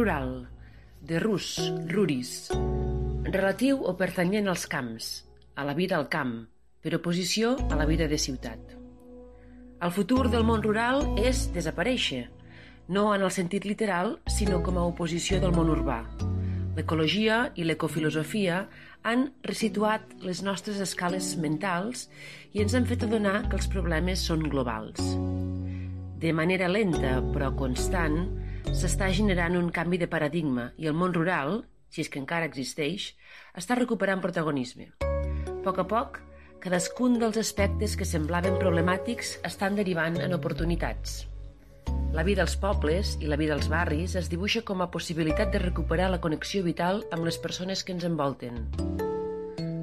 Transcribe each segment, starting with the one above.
rural, de rus, ruris, relatiu o pertanyent als camps, a la vida al camp, per oposició a la vida de ciutat. El futur del món rural és desaparèixer, no en el sentit literal, sinó com a oposició del món urbà. L'ecologia i l'ecofilosofia han resituat les nostres escales mentals i ens han fet adonar que els problemes són globals. De manera lenta però constant, s'està generant un canvi de paradigma i el món rural, si és que encara existeix, està recuperant protagonisme. A poc, cadascun dels aspectes que semblaven problemàtics estan derivant en oportunitats. La vida als pobles i la vida als barris es dibuixa com a possibilitat de recuperar la connexió vital amb les persones que ens envolten.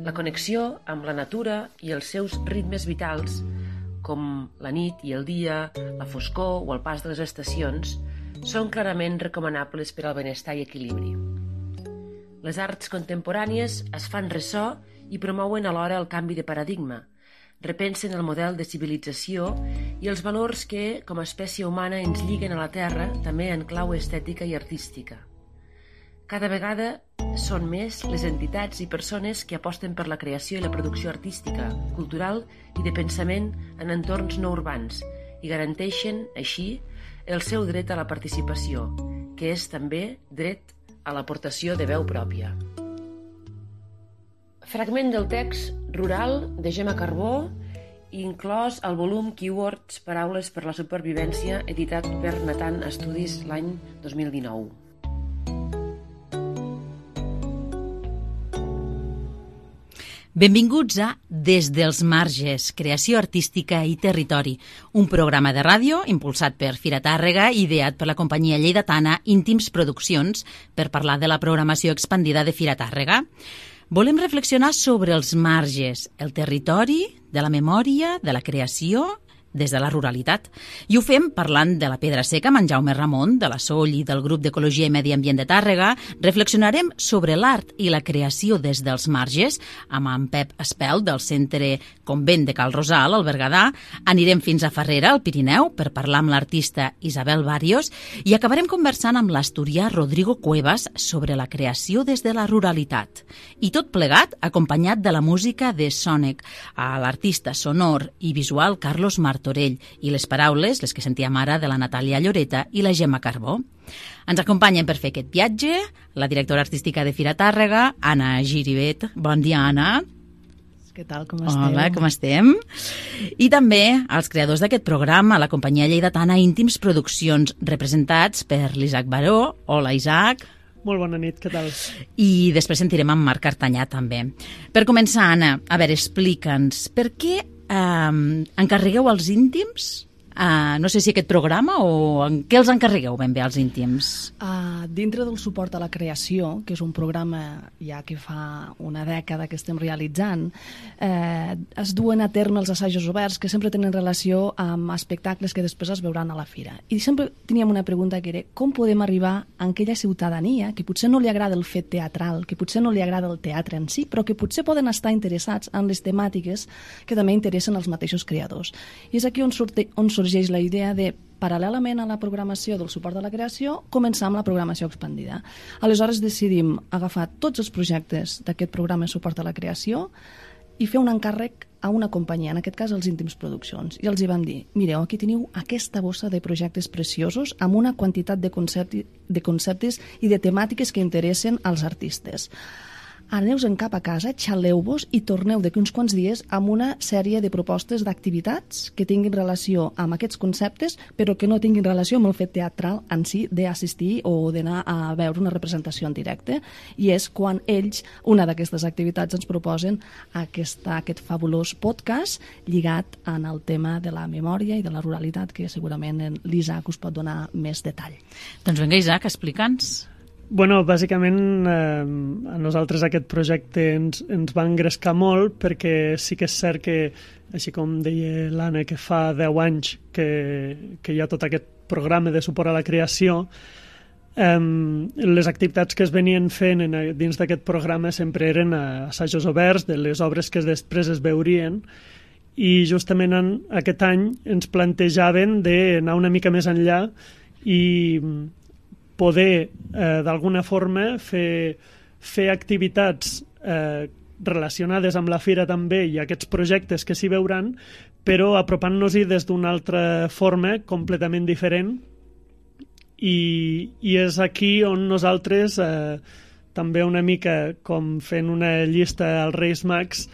La connexió amb la natura i els seus ritmes vitals, com la nit i el dia, la foscor o el pas de les estacions, són clarament recomanables per al benestar i equilibri. Les arts contemporànies es fan ressò i promouen alhora el canvi de paradigma, repensen el model de civilització i els valors que, com a espècie humana, ens lliguen a la Terra, també en clau estètica i artística. Cada vegada són més les entitats i persones que aposten per la creació i la producció artística, cultural i de pensament en entorns no urbans i garanteixen, així, el seu dret a la participació, que és també dret a l'aportació de veu pròpia. Fragment del text Rural de Gemma Carbó, inclòs al volum Keywords, Paraules per la supervivència, editat per Natan Estudis l'any 2019. Benvinguts a Des dels marges, creació artística i territori, un programa de ràdio impulsat per Fira Tàrrega i ideat per la companyia lleidatana Íntims Produccions per parlar de la programació expandida de Fira Tàrrega. Volem reflexionar sobre els marges, el territori, de la memòria, de la creació, des de la ruralitat. I ho fem parlant de la Pedra Seca amb en Jaume Ramon, de la Soll i del grup d'Ecologia i Medi Ambient de Tàrrega. Reflexionarem sobre l'art i la creació des dels marges amb en Pep Espel, del Centre Convent de Cal Rosal, al Berguedà. Anirem fins a Farrera, al Pirineu, per parlar amb l'artista Isabel Barrios i acabarem conversant amb l'asturià Rodrigo Cuevas sobre la creació des de la ruralitat. I tot plegat acompanyat de la música de Sònec, a l'artista sonor i visual Carlos Martorell i les paraules, les que sentíem ara, de la Natàlia Lloreta i la Gemma Carbó. Ens acompanyen per fer aquest viatge la directora artística de Fira Tàrrega, Anna Giribet. Bon dia, Anna. Què tal, com esteu? Hola, com estem? I també els creadors d'aquest programa, la companyia lleidatana Íntims Produccions, representats per l'Isaac Baró. Hola, Isaac. Molt bona nit, què tal? I després sentirem en Marc Cartanyà, també. Per començar, Anna, a veure, explica'ns, per què encarregueu als íntims? No sé si aquest programa o en què els encarregueu ben bé als íntims? Dintre del suport a la creació, que és un programa ja que fa una dècada que estem realitzant, es duen a terme els assajos oberts que sempre tenen relació amb espectacles que després es veuran a la fira. I sempre teníem una pregunta que era com podem arribar a aquella ciutadania que potser no li agrada el fet teatral, que potser no li agrada el teatre en si, però que potser poden estar interessats en les temàtiques que també interessen als mateixos creadors. I és aquí on sorgeix la idea de, paral·lelament a la programació del suport a la creació, començar amb la programació expandida. Aleshores decidim agafar tots els projectes d'aquest programa de suport a la creació i fer un encàrrec a una companyia, en aquest cas els Íntims Produccions. I els hi vam dir, mireu, aquí teniu aquesta bossa de projectes preciosos amb una quantitat de conceptes i de temàtiques que interessen als artistes. Aneu-se'n cap a casa, xaleu-vos i torneu d'aquí uns quants dies amb una sèrie de propostes d'activitats que tinguin relació amb aquests conceptes, però que no tinguin relació amb el fet teatral en si d'assistir o d'anar a veure una representació en directe. I és quan ells, una d'aquestes activitats, ens proposen aquest fabulós podcast lligat en el tema de la memòria i de la ruralitat, que segurament l'Isaac us pot donar més detall. Doncs vinga, Isaac, explica'ns. Bueno, bàsicament a nosaltres aquest projecte ens va engrescar molt perquè sí que és cert que, així com deia l'Anna, que fa 10 anys que hi ha tot aquest programa de suport a la creació, les activitats que es venien fent dins d'aquest programa sempre eren assajos oberts de les obres que després es veurien i justament aquest any ens plantejaven d'anar una mica més enllà i poder, d'alguna forma, fer activitats relacionades amb la fira també i aquests projectes que s'hi veuran, però apropant-nos-hi des d'una altra forma completament diferent, i és aquí on nosaltres també una mica com fent una llista als Reis Mags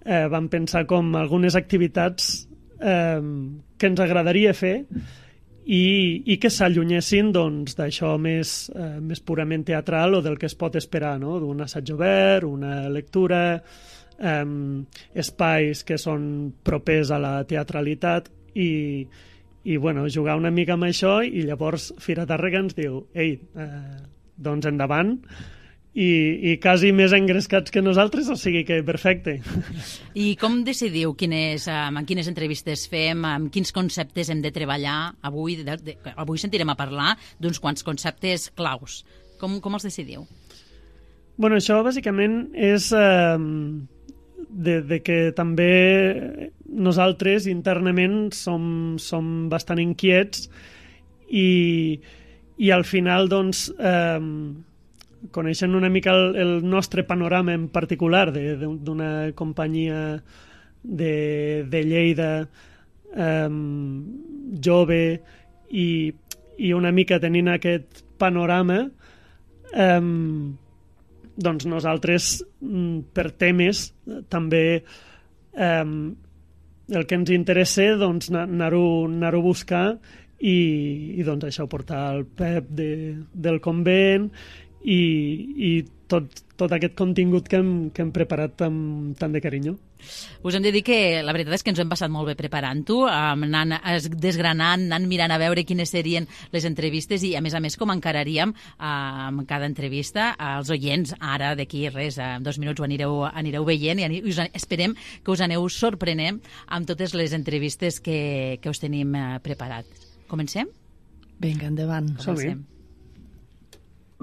vam pensar com algunes activitats que ens agradaria fer i que s'allunyessin d'això més purament teatral o del que es pot esperar, no? D'un assaig obert, una lectura, espais que són propers a la teatralitat i bueno, jugar una mica amb això, i llavors Fira Tàrrega ens diu doncs endavant, i quasi més engrescats que nosaltres, o sigui que perfecte. I com decidiu en quines entrevistes fem, amb quins conceptes hem de treballar? Avui sentirem a parlar d'uns quants conceptes claus. Com els decidiu? Bueno, això bàsicament és de que també nosaltres internament som bastant inquiets i al final doncs coneixent una mica el nostre panorama en particular d'una companyia de Lleida jove i una mica tenint aquest panorama, doncs nosaltres per temes també el que ens interessa doncs anar-ho a buscar i doncs això, portar el Pep del convent i tot aquest contingut que hem preparat amb tant de carinyo. Us hem de dir que la veritat és que ens ho hem passat molt bé preparant-ho, anant desgranant, anant mirant a veure quines serien les entrevistes i, a més, com encararíem amb cada entrevista als oients. Ara, d'aquí res, en 2 minuts ho anireu veient i esperem que us aneu sorprenent amb totes les entrevistes que us tenim preparats. Comencem? Vinga, endavant. Comencem.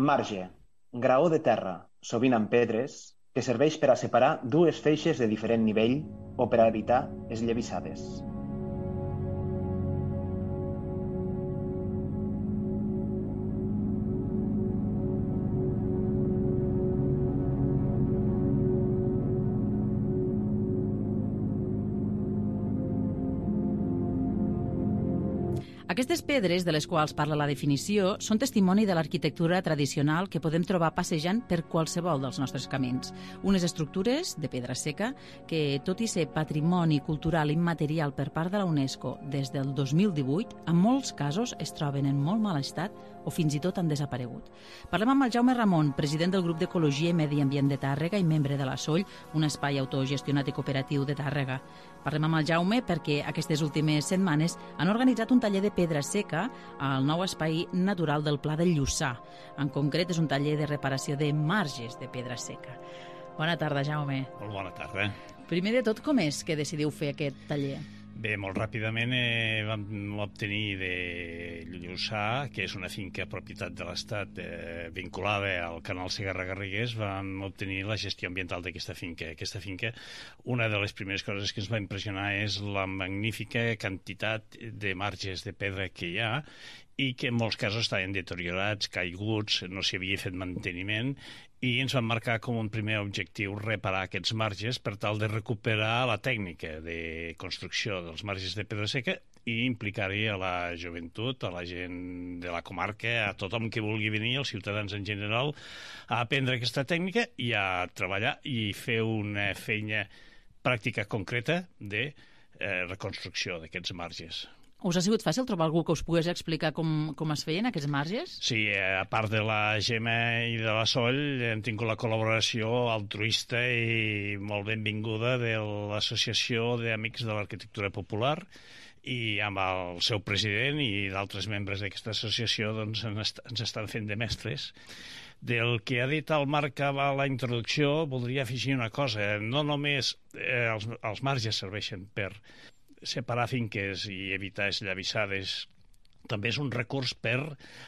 Marge, graó de terra, sovint amb pedres, que serveix per a separar dues feixes de diferent nivell o per a evitar esllavissades. Aquestes pedres, de les quals parla la definició, són testimoni de l'arquitectura tradicional que podem trobar passejant per qualsevol dels nostres camins. Unes estructures de pedra seca que, tot i ser patrimoni cultural immaterial per part de la UNESCO des del 2018, en molts casos es troben en molt mal estat o fins i tot han desaparegut. Parlem amb el Jaume Ramon, president del grup d'Ecologia i Medi Ambient de Tàrrega i membre de la SOLL, un espai autogestionat i cooperatiu de Tàrrega. Parlem amb el Jaume perquè aquestes últimes setmanes han organitzat un taller de pedra seca al nou espai natural del Pla del Lluçà. En concret, és un taller de reparació de marges de pedra seca. Bona tarda, Jaume. Molt bona tarda. Primer de tot, com és que decidiu fer aquest taller? Bé, molt ràpidament vam obtenir de Lluçà, que és una finca propietat de l'Estat vinculada al canal Segarra-Garrigues, vam obtenir la gestió ambiental d'aquesta finca. Aquesta finca, una de les primeres coses que ens va impressionar és la magnífica quantitat de marges de pedra que hi ha i que en molts casos estaven deteriorats, caiguts, no s'hi havia fet manteniment, i ens van marcar com un primer objectiu reparar aquests marges per tal de recuperar la tècnica de construcció dels marges de pedra seca i implicar-hi a la joventut, a la gent de la comarca, a tothom que vulgui venir, als ciutadans en general, a aprendre aquesta tècnica i a treballar i fer una feina pràctica concreta de reconstrucció d'aquests marges. Us ha sigut fàcil trobar algú que us pogués explicar com es feien aquests marges? Sí, a part de la Gemma i de la Sol, hem tingut la col·laboració altruista i molt benvinguda de l'Associació d'Amics de l'Arquitectura Popular, i amb el seu president i d'altres membres d'aquesta associació doncs, ens estan fent de mestres. Del que ha dit el Marc a la introducció, voldria afegir una cosa. No només els marges serveixen per separar finques i evitar esllavissades, també és un recurs per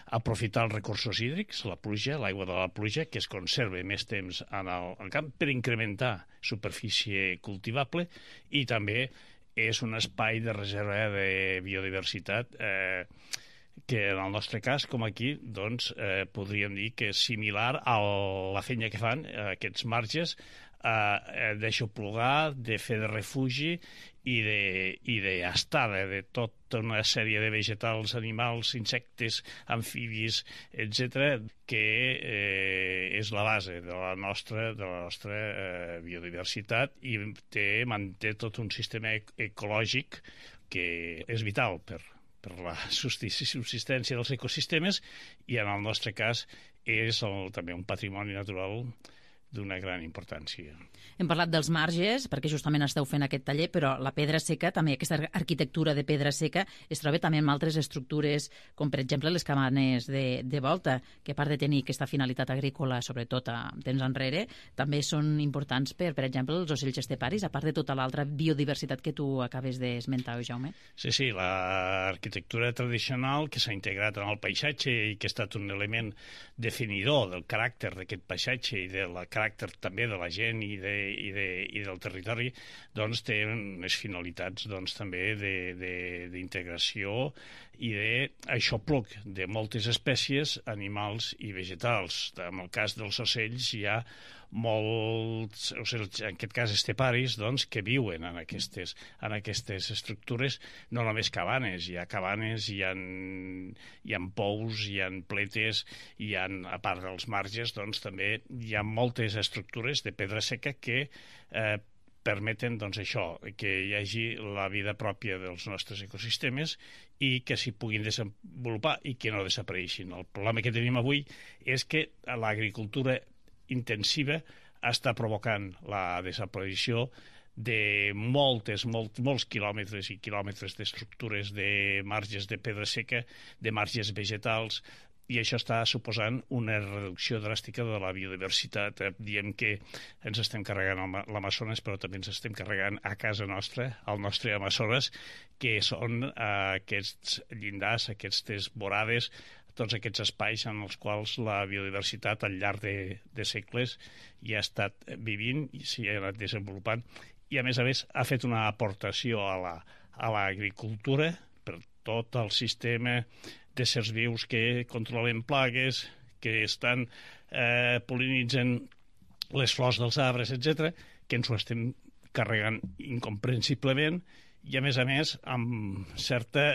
aprofitar els recursos hídrics, la pluja, l'aigua de la pluja, que es conserva més temps en el camp per incrementar superfície cultivable, i també és un espai de reserva de biodiversitat que en el nostre cas, com aquí, doncs, podríem dir que és similar a la feina que fan aquests marges d'aixoplugar, de fer de refugi i d'estada de tota una sèrie de vegetals, animals, insectes, amfibis, etc., que és la base de la nostra biodiversitat i manté tot un sistema ecològic que és vital per la subsistència dels ecosistemes i, en el nostre cas, és també un patrimoni natural d'una gran importància. Hem parlat dels marges, perquè justament esteu fent aquest taller, però la pedra seca, també aquesta arquitectura de pedra seca, es troba també en altres estructures, com per exemple les cabanes de volta, que a part de tenir aquesta finalitat agrícola, sobretot a temps enrere, també són importants per exemple, els ocells esteparis, a part de tota l'altra biodiversitat que tu acabes d'esmentar, Jaume. Sí, l'arquitectura tradicional que s'ha integrat en el paisatge i que ha estat un element definidor del caràcter d'aquest paisatge i del caràcter també de la gent i del territori, doncs té unes finalitats doncs, també d'integració i d'aixopluc de moltes espècies, animals i vegetals. En el cas dels ocells hi ha molts ocells, en aquest cas esteparis, doncs, que viuen en aquestes estructures, no només cabanes, hi ha cabanes, hi ha pous, hi ha pletes, a part dels marges, doncs, també hi ha moltes estructures de pedra seca que permeten doncs, això, que hi hagi la vida pròpia dels nostres ecosistemes i que s'hi puguin desenvolupar i que no desapareixin. El problema que tenim avui és que l'agricultura intensiva està provocant la desaparició de molts quilòmetres i quilòmetres d'estructures de marges de pedra seca, de marges vegetals, i això està suposant una reducció dràstica de la biodiversitat. Diem que ens estem carregant l'Amazones, però també ens estem carregant a casa nostra, al nostre Amazones, que són aquests llindars, aquestes vorades, tots aquests espais en els quals la biodiversitat al llarg de segles hi ha estat vivint i s'hi ha anat desenvolupant i, a més, ha fet una aportació a l'agricultura per tot el sistema d'éssers vius que controlen plagues, que estan pol·linitzant les flors dels arbres, etc., que ens ho estem carregant incomprensiblement i, a més, amb certa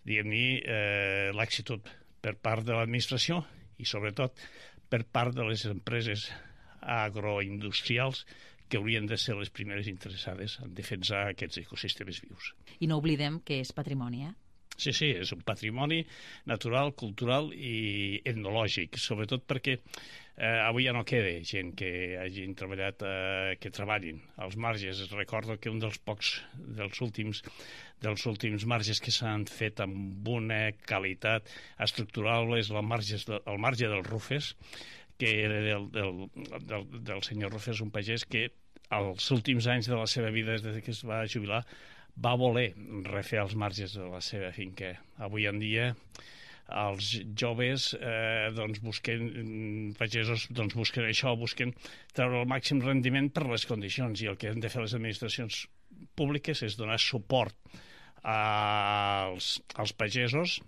laxitud per part de l'administració i, sobretot, per part de les empreses agroindustrials que haurien de ser les primeres interessades en defensar aquests ecosistemes vius. I no oblidem que és patrimoni, Sí, és un patrimoni natural, cultural i etnològic, sobretot perquè avui ja no queda gent que hagin treballat, que treballin als marges. Recordo que un dels últims marges que s'han fet amb una qualitat estructural és el marge del Rufes, que era del senyor Rufes, un pagès que als últims anys de la seva vida, des que es va jubilar, va voler refer els marges de la seva finca. Avui en dia els joves pagesos busquen això, busquen treure el màxim rendiment per les condicions, i el que han de fer les administracions públiques és donar suport als pagesos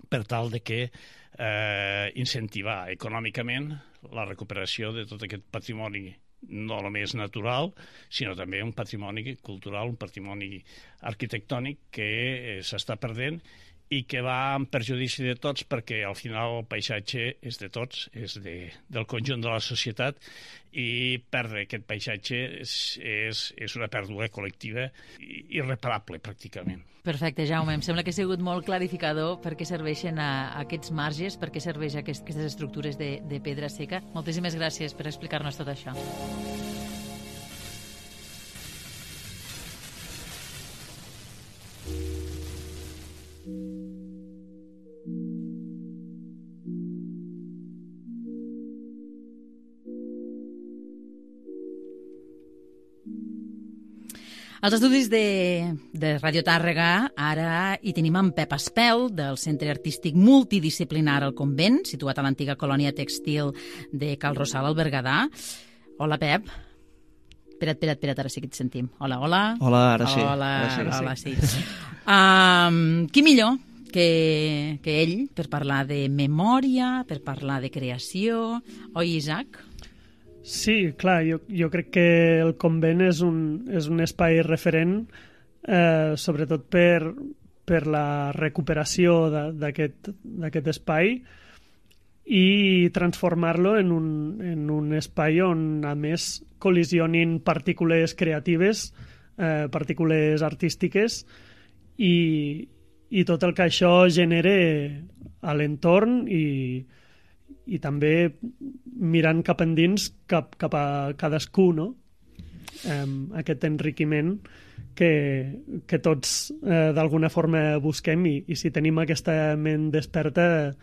per tal de que incentivar econòmicament la recuperació de tot aquest patrimoni no només natural, sinó també un patrimoni cultural, un patrimoni arquitectònic que s'està perdent i que va en perjudici de tots, perquè al final el paisatge és de tots, és del conjunt de la societat, i perdre aquest paisatge és una pèrdua col·lectiva irreparable, pràcticament. Perfecte, Jaume. Em sembla que ha sigut molt clarificador per què serveixen aquests marges, per què serveixen aquestes estructures de pedra seca. Moltíssimes gràcies per explicar-nos tot això. Als estudis de Ràdio Tàrrega ara hi tenim en Pep Espel, del Centre Artístic Multidisciplinar al Convent, situat a l'antiga colònia tèxtil de Cal Rosal, al Berguedà. Hola, Pep. Espera't, ara sí que et sentim. Hola. Hola, ara sí. Hola, sí. Qui millor que ell, per parlar de memòria, per parlar de creació, oi, Isaac? Sí, clar, jo crec que el convent és un espai referent, sobretot per la recuperació d'aquest espai i transformar-lo en un espai on, a més, col·lisionin partícules creatives, partícules artístiques i tot el que això genere a l'entorn i també mirant cap endins, cap a cadascú, no? Aquest enriquiment que tots d'alguna forma busquem i si tenim aquesta ment desperta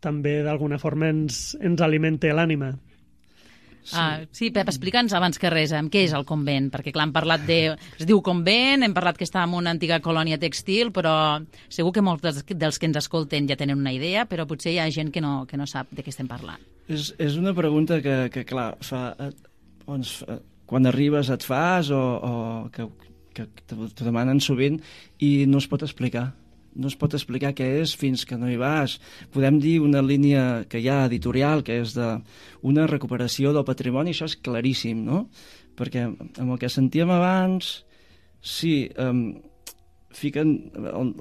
també d'alguna forma ens alimenta l'ànima. Sí, Pep, explica'ns abans que res què és el convent, perquè clar, hem parlat es diu convent, hem parlat que està en una antiga colònia textil, però segur que molts dels que ens escolten ja tenen una idea, però potser hi ha gent que no sap de què estem parlant. És una pregunta que clar, quan arribes et fas o que t'ho demanen sovint i no es pot explicar. No es pot explicar què és fins que no hi vas. Podem dir una línia que hi ha editorial, que és una recuperació del patrimoni, això és claríssim, no? Perquè amb el que sentíem abans, sí, el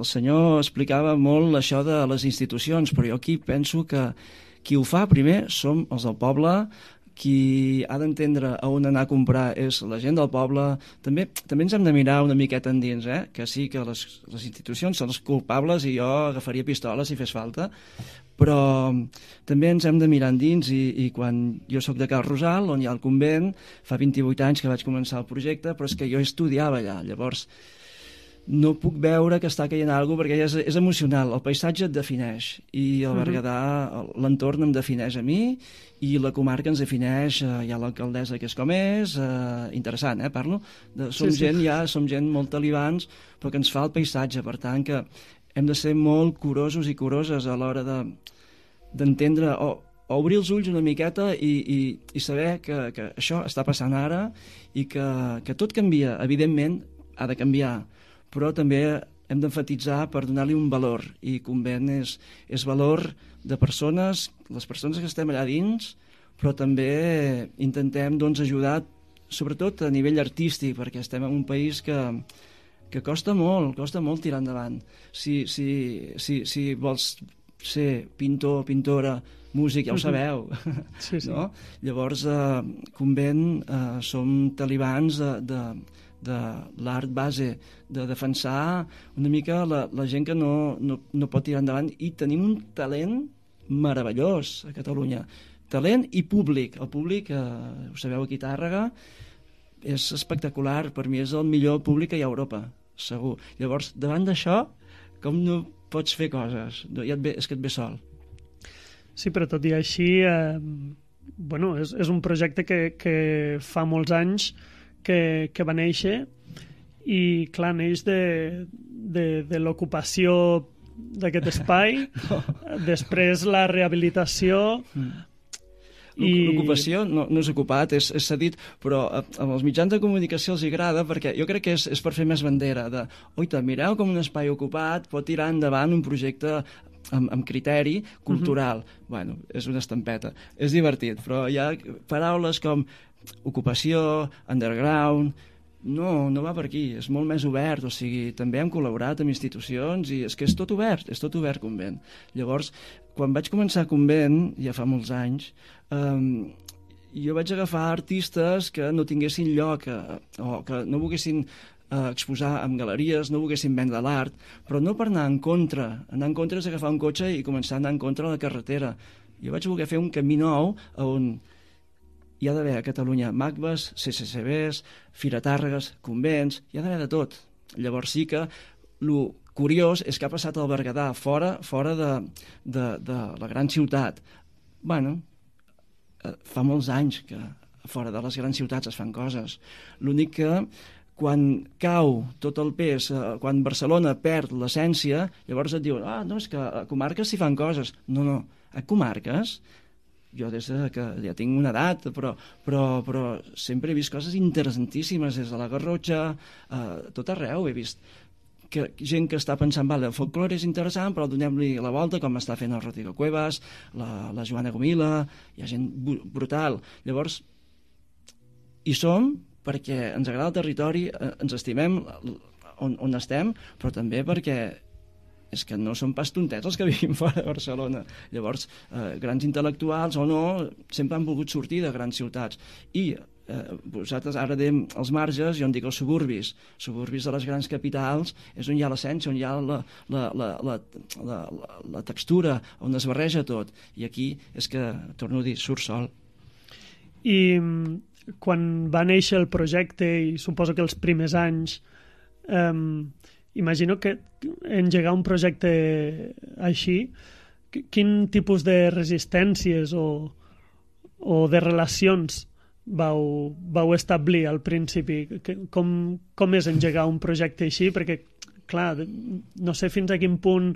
senyor explicava molt això de les institucions, però jo aquí penso que qui ho fa primer som els del poble, qui ha d'entendre a on anar a comprar és la gent del poble. També ens hem de mirar una miqueta endins, que sí que les institucions són els culpables i jo agafaria pistoles si fes falta, però també ens hem de mirar endins i quan jo sóc de Cal Rosal, on hi ha el convent, fa 28 anys que vaig començar el projecte, però és que jo estudiava allà, llavors no puc veure que està caient alguna cosa perquè és emocional, el paisatge et defineix i el Berguedà, l'entorn em defineix a mi i la comarca ens defineix, hi ha l'alcaldessa que és com és, interessant, parlo, som gent molt talibans però que ens fa el paisatge, per tant que hem de ser molt curosos i curoses a l'hora d'entendre o obrir els ulls una miqueta i saber que això està passant ara i que tot canvia, evidentment ha de canviar, però també hem d'emfatitzar per donar-li un valor, i convent és valor de persones, les persones que estem allà dins, però també intentem ajudar, sobretot a nivell artístic, perquè estem en un país que costa molt tirar endavant. Si vols ser pintor, pintora, músic, ja ho sabeu. Sí. No? Llavors, convent, som talibans de l'art base, de defensar una mica la gent que no pot tirar endavant, i tenim un talent meravellós a Catalunya. Talent i públic. El públic, ho sabeu, aquí a Tàrrega, és espectacular. Per mi és el millor públic que hi ha a Europa, segur. Llavors, davant d'això, com no pots fer coses? És que et ve sol. Sí, però tot i així, és un projecte que fa molts anys que va néixer i, clar, neix de l'ocupació d'aquest espai, després la rehabilitació. L'ocupació no és ocupat, és cedit, però amb els mitjans de comunicació els agrada perquè jo crec que és per fer més bandera de, oita, mireu com un espai ocupat pot tirar endavant un projecte amb criteri cultural. Bueno, és una estampeta, és divertit, però hi ha paraules com ocupació, underground, no va per aquí, és molt més obert, o sigui, també hem col·laborat amb institucions i és que és tot obert convent. Llavors, quan vaig començar convent, ja fa molts anys, jo vaig agafar artistes que no tinguessin lloc o que no volguessin exposar en galeries, no volguessin vendre l'art, però no per anar en contra. Anar en contra és agafar un cotxe i començar a anar en contra de la carretera. Jo vaig voler fer un camí nou on hi ha d'haver a Catalunya MACBAs, CCCBs, Fira Tàrregues, convents, hi ha d'haver de tot. Llavors sí que el curiós és que ha passat al Berguedà, fora de la gran ciutat. Bueno, fa molts anys que fora de les grans ciutats es fan coses. L'únic que quan cau tot el pes, quan Barcelona perd l'essència, llavors et diuen, no, és que a comarques s'hi fan coses. No, a comarques, jo des que ja tinc una edat, però sempre he vist coses interessantíssimes, des de la Garrotxa, tot arreu he vist gent que està pensant, vale, el folclore és interessant, però donem-li la volta, com està fent el Rodrigo Cuevas, la Joana Gomila, hi ha gent brutal. Llavors, hi som perquè ens agrada el territori, ens estimem on estem, però també perquè és que no són pas tontets els que vivim fora de Barcelona. Llavors, grans intel·lectuals o no, sempre han volgut sortir de grans ciutats. I vosaltres ara dèiem els marges, jo en dic els suburbis de les grans capitals, és on hi ha l'essència, on hi ha la textura, on es barreja tot. I aquí és que, torno a dir, surt sol. I quan va néixer el projecte, i suposo que els primers anys, imagino que engegar un projecte així, quin tipus de resistències o de relacions vau establir al principi? Com és engegar un projecte així? Perquè, clar, no sé fins a quin punt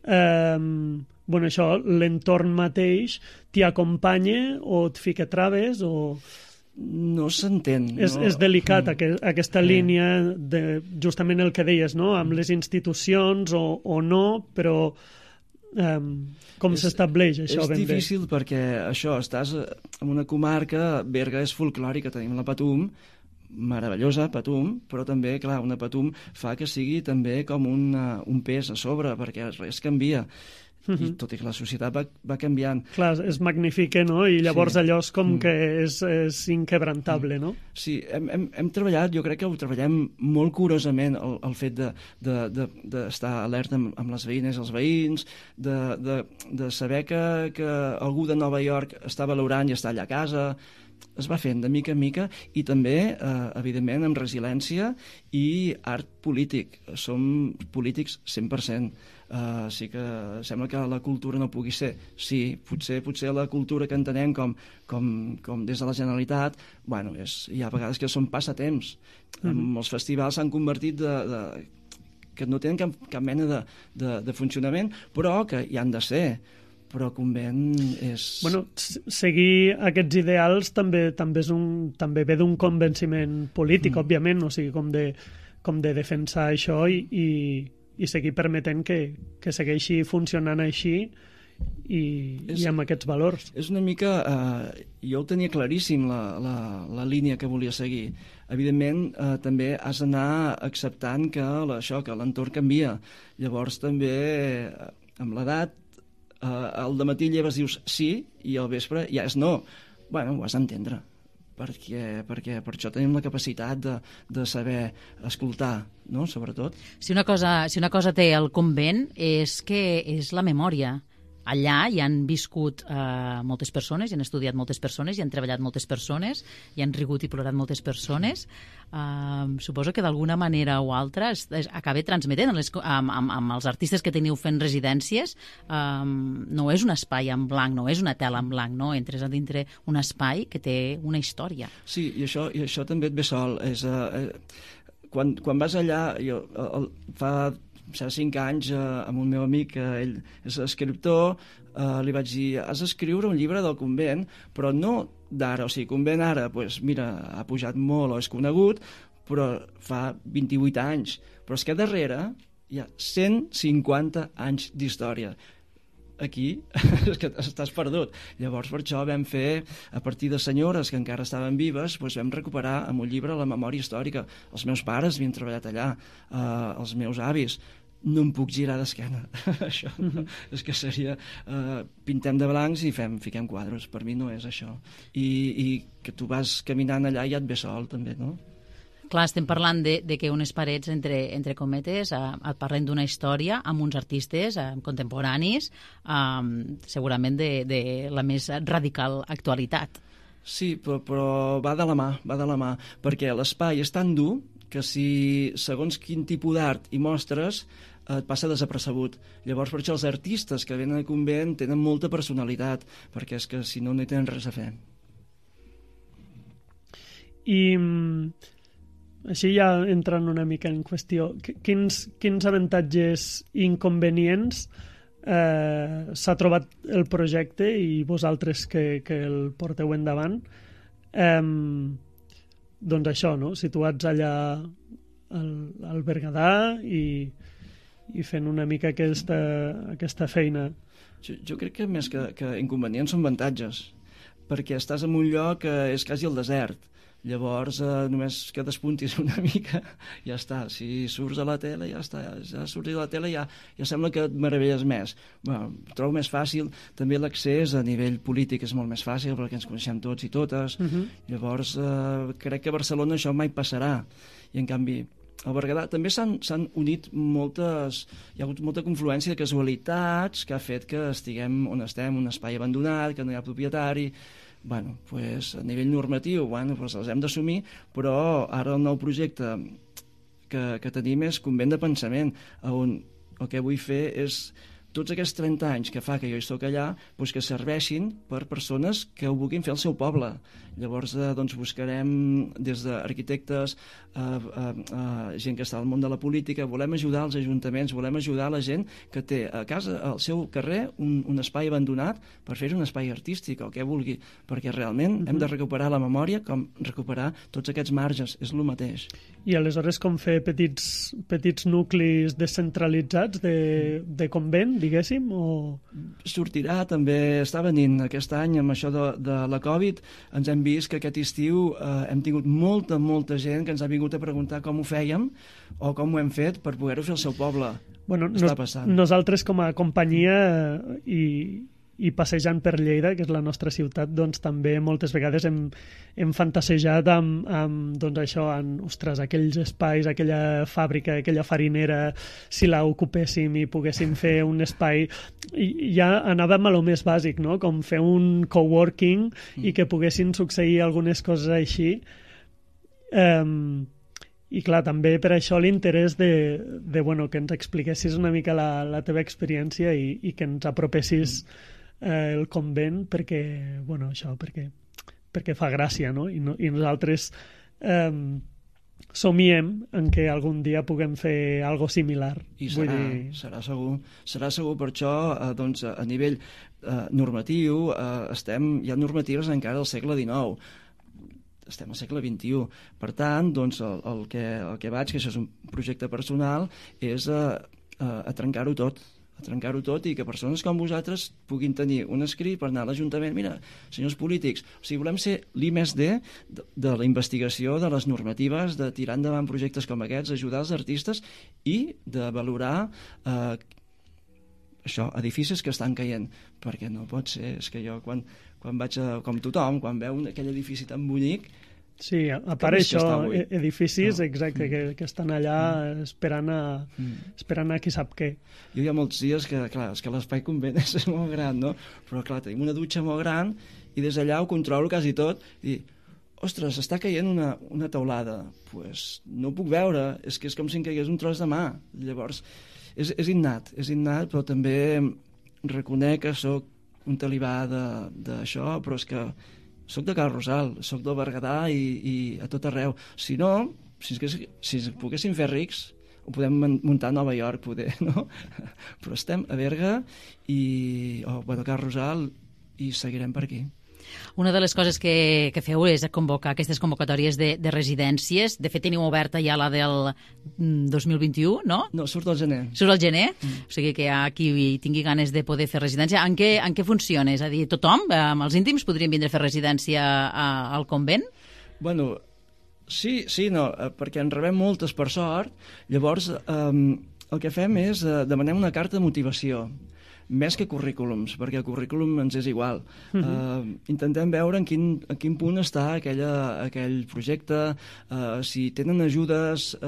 això, l'entorn mateix t'hi acompanya o et fica traves o... No s'entén. És delicat aquesta línia de justament el que deies, no? Amb les institucions o no, però com s'estableix això ben bé? És difícil perquè això, estàs en una comarca, Berga és folclòrica, tenim la Patum, meravellosa Patum, però també, clar, una Patum fa que sigui també com un pes a sobre, perquè res canvia. I tot i que la societat va canviant. Clar, es magnifica, no? I llavors allò és com que és inquebrantable, no? Sí, hem treballat, jo crec que ho treballem molt curosament, el fet d'estar alerta amb les veïnes i els veïns, de saber que algú de Nova York està valorant i està allà a casa. Es va fent de mica en mica i també, evidentment, amb resiliència i art polític. Som polítics 100%. Sí que sembla que la cultura no pugui ser. Sí, potser la cultura que entenem com des de la Generalitat, bueno, hi ha vegades que són passatemps. Els festivals s'han convertit que no tenen cap mena de funcionament, però que hi han de ser. Però convent és... Bueno, seguir aquests ideals també ve d'un convenciment polític, òbviament, o sigui, com de defensar això i seguir permetent que segueixi funcionant així i amb aquests valors. És una mica... jo ho tenia claríssim, la línia que volia seguir. Evidentment, també has d'anar acceptant que l'entorn canvia. Llavors, també, amb l'edat, al dematí lleves dius sí i al vespre ja és no. Bueno, ho has d'entendre, perquè per això tenim la capacitat de saber escoltar, no?, sobretot. Si una cosa té el convent és que és la memòria. Allà hi han viscut moltes persones, hi han estudiat moltes persones, hi han treballat moltes persones, hi han rigut i plorat moltes persones. Suposo que d'alguna manera o altra acaba transmetent amb els artistes que teniu fent residències. No és un espai en blanc, no és una tela en blanc, no? Entres a dintre un espai que té una història. Sí, i això també et ve sol. Quan vas allà, fa 5 anys, amb un meu amic, ell és escriptor, li vaig dir, has d'escriure un llibre del convent, però no d'ara, o sigui, convent ara, doncs mira, ha pujat molt o és conegut, però fa 28 anys. Però és que darrere hi ha 150 anys d'història. Aquí és que estàs perdut. Llavors, per això vam fer, a partir de senyores que encara estaven vives, doncs vam recuperar amb un llibre la memòria històrica. Els meus pares havien treballat allà, els meus avis. No em puc girar d'esquena. Això és que seria... pintem de blancs i fiquem quadres. Per mi no és això. I que tu vas caminant allà i ja et ve sol, també, no? Clar, estem parlant de que unes parets, entre cometes, et parlen d'una història amb uns artistes contemporanis, segurament de la més radical actualitat. Sí, però va de la mà, perquè l'espai és tan dur que si segons quin tipus d'art hi mostres et passa desapercebut. Llavors, per això els artistes que venen al convent tenen molta personalitat, perquè és que si no, no hi tenen res a fer. I així ja entrant una mica en qüestió, quins avantatges i inconvenients s'ha trobat el projecte i vosaltres que el porteu endavant, doncs això, no? Situats allà al Berguedà i fent una mica aquesta feina. Jo crec que més que inconvenients són avantatges, perquè estàs en un lloc que és quasi el desert. Llavors, només que despuntis una mica, ja està. Si surts a la tele, ja està. Ja surts a la tele, ja sembla que et meravelles més. Bueno, trobo més fàcil. També l'accés a nivell polític és molt més fàcil, perquè ens coneixem tots i totes. Llavors, crec que a Barcelona això mai passarà. I, en canvi, al Berguedà també s'han unit hi ha hagut molta confluència de casualitats que ha fet que estiguem on estem, un espai abandonat, que no hi ha propietari. Bueno, pues, a nivell normatiu, pues, els hem d'assumir, però ara el nou projecte que tenim és convent de pensament, on el que vull fer és tots aquests 30 anys que fa que jo hi soc allà, doncs que serveixin per persones que ho vulguin fer al seu poble. Llavors, doncs, buscarem des d'arquitectes, gent que està al món de la política, volem ajudar els ajuntaments, volem ajudar la gent que té a casa, al seu carrer, un espai abandonat per fer un espai artístic, el que vulgui, perquè realment hem de recuperar la memòria com recuperar tots aquests marges, és el mateix. I aleshores com fer petits nuclis descentralitzats de convent, diguéssim, o... Sortirà, també està venint aquest any amb això de la Covid, ens hem vist que aquest estiu hem tingut molta gent que ens ha vingut a preguntar com ho fèiem o com ho hem fet per poder-ho fer al seu poble. Bueno, nosaltres com a companyia i passejant per Lleida, que és la nostra ciutat, doncs també moltes vegades hem fantasejat amb doncs això, ostres, aquells espais, aquella fàbrica, aquella farinera, si la ocupéssim i poguéssim fer un espai... I ja anàvem a lo més bàsic, no? Com fer un coworking i que poguessin succeir algunes coses així. I clar, també per això l'interès de que ens expliquessis una mica la teva experiència i que ens apropessis el convent perquè fa gràcia, no? I nosaltres somiem en què algun dia puguem fer algo similar. I serà segur. Per això, doncs, a nivell normatiu, hi ha normatives encara del segle XIX. Estem al segle XXI. Per tant, doncs, el que vaig, que això és un projecte personal, és a trencar-ho tot i que persones com vosaltres puguin tenir un escrit per anar a l'Ajuntament. Mira, senyors polítics, o sigui, volem ser l'I+D de la investigació de les normatives, de tirar endavant projectes com aquests, ajudar els artistes i de valorar edificis que estan caient, perquè no pot ser, és que jo quan vaig com tothom, quan veu aquell edifici tan bonic. Sí, a part això, edificis exacte, que estan allà esperant a qui sap què. Jo hi ha molts dies que, clar, és que l'espai convent és molt gran, no? Però clar, tenim una dutxa molt gran i des d'allà ho controlo quasi tot i ostres, està caient una teulada. Pues no ho puc veure, és que és com si em caigués un tros de mà. Llavors, és innat, però també reconec que sóc un talibà d'això, però és que soc de Cal Rosal, soc del Berguedà i a tot arreu. Si no, si poguéssim fer rics, ho podem muntar a Nova York, poder, no? Però estem a Berga a Cal Rosal i seguirem per aquí. Una de les coses que feu és convocar aquestes convocatòries de residències. De fet, teniu oberta ja la del 2021, no? No, surt al gener. Surt al gener? O sigui que hi ha qui tingui ganes de poder fer residència. En què funciona? És a dir, tothom, els íntims, podrien vindre a fer residència al convent? Bueno, sí, no, perquè en rebem moltes per sort. Llavors, el que fem és demanem una carta de motivació, més que currículums, perquè el currículum ens és igual. Intentem veure en quin punt està aquell projecte, si tenen ajudes,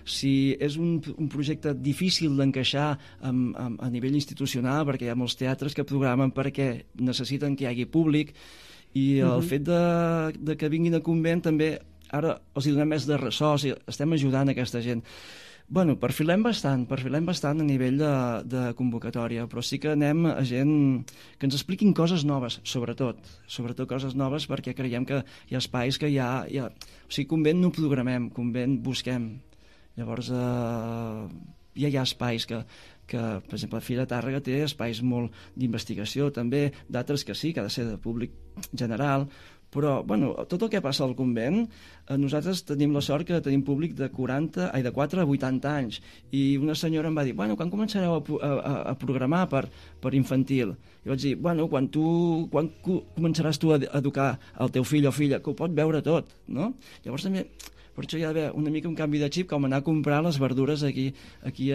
si és un projecte difícil d'encaixar a nivell institucional, perquè hi ha molts teatres que programen perquè necessiten que hi hagi públic, i el fet de que vinguin a convent també ara els hi donem més de ressò, o sigui, estem ajudant aquesta gent. Bueno, perfilem bastant a nivell de convocatòria, però sí que anem a gent que ens expliquin coses noves, sobretot coses noves, perquè creiem que hi ha espais que o sigui, convent no programem, convent busquem. Llavors, ja hi ha espais que per exemple, la Fira de Tàrrega té espais molt d'investigació, també d'altres que sí, que ha de ser de públic general, Però, bueno, tot el que passa al convent, nosaltres tenim la sort que tenim públic de 4 a 80 anys. I una senyora em va dir, bueno, quan començareu a programar per infantil? I vaig dir, bueno, quan començaràs tu a educar el teu fill o filla, que ho pot veure tot, no? Llavors també... Per això hi ha d'haver una mica un canvi de xip, com anar a comprar les verdures aquí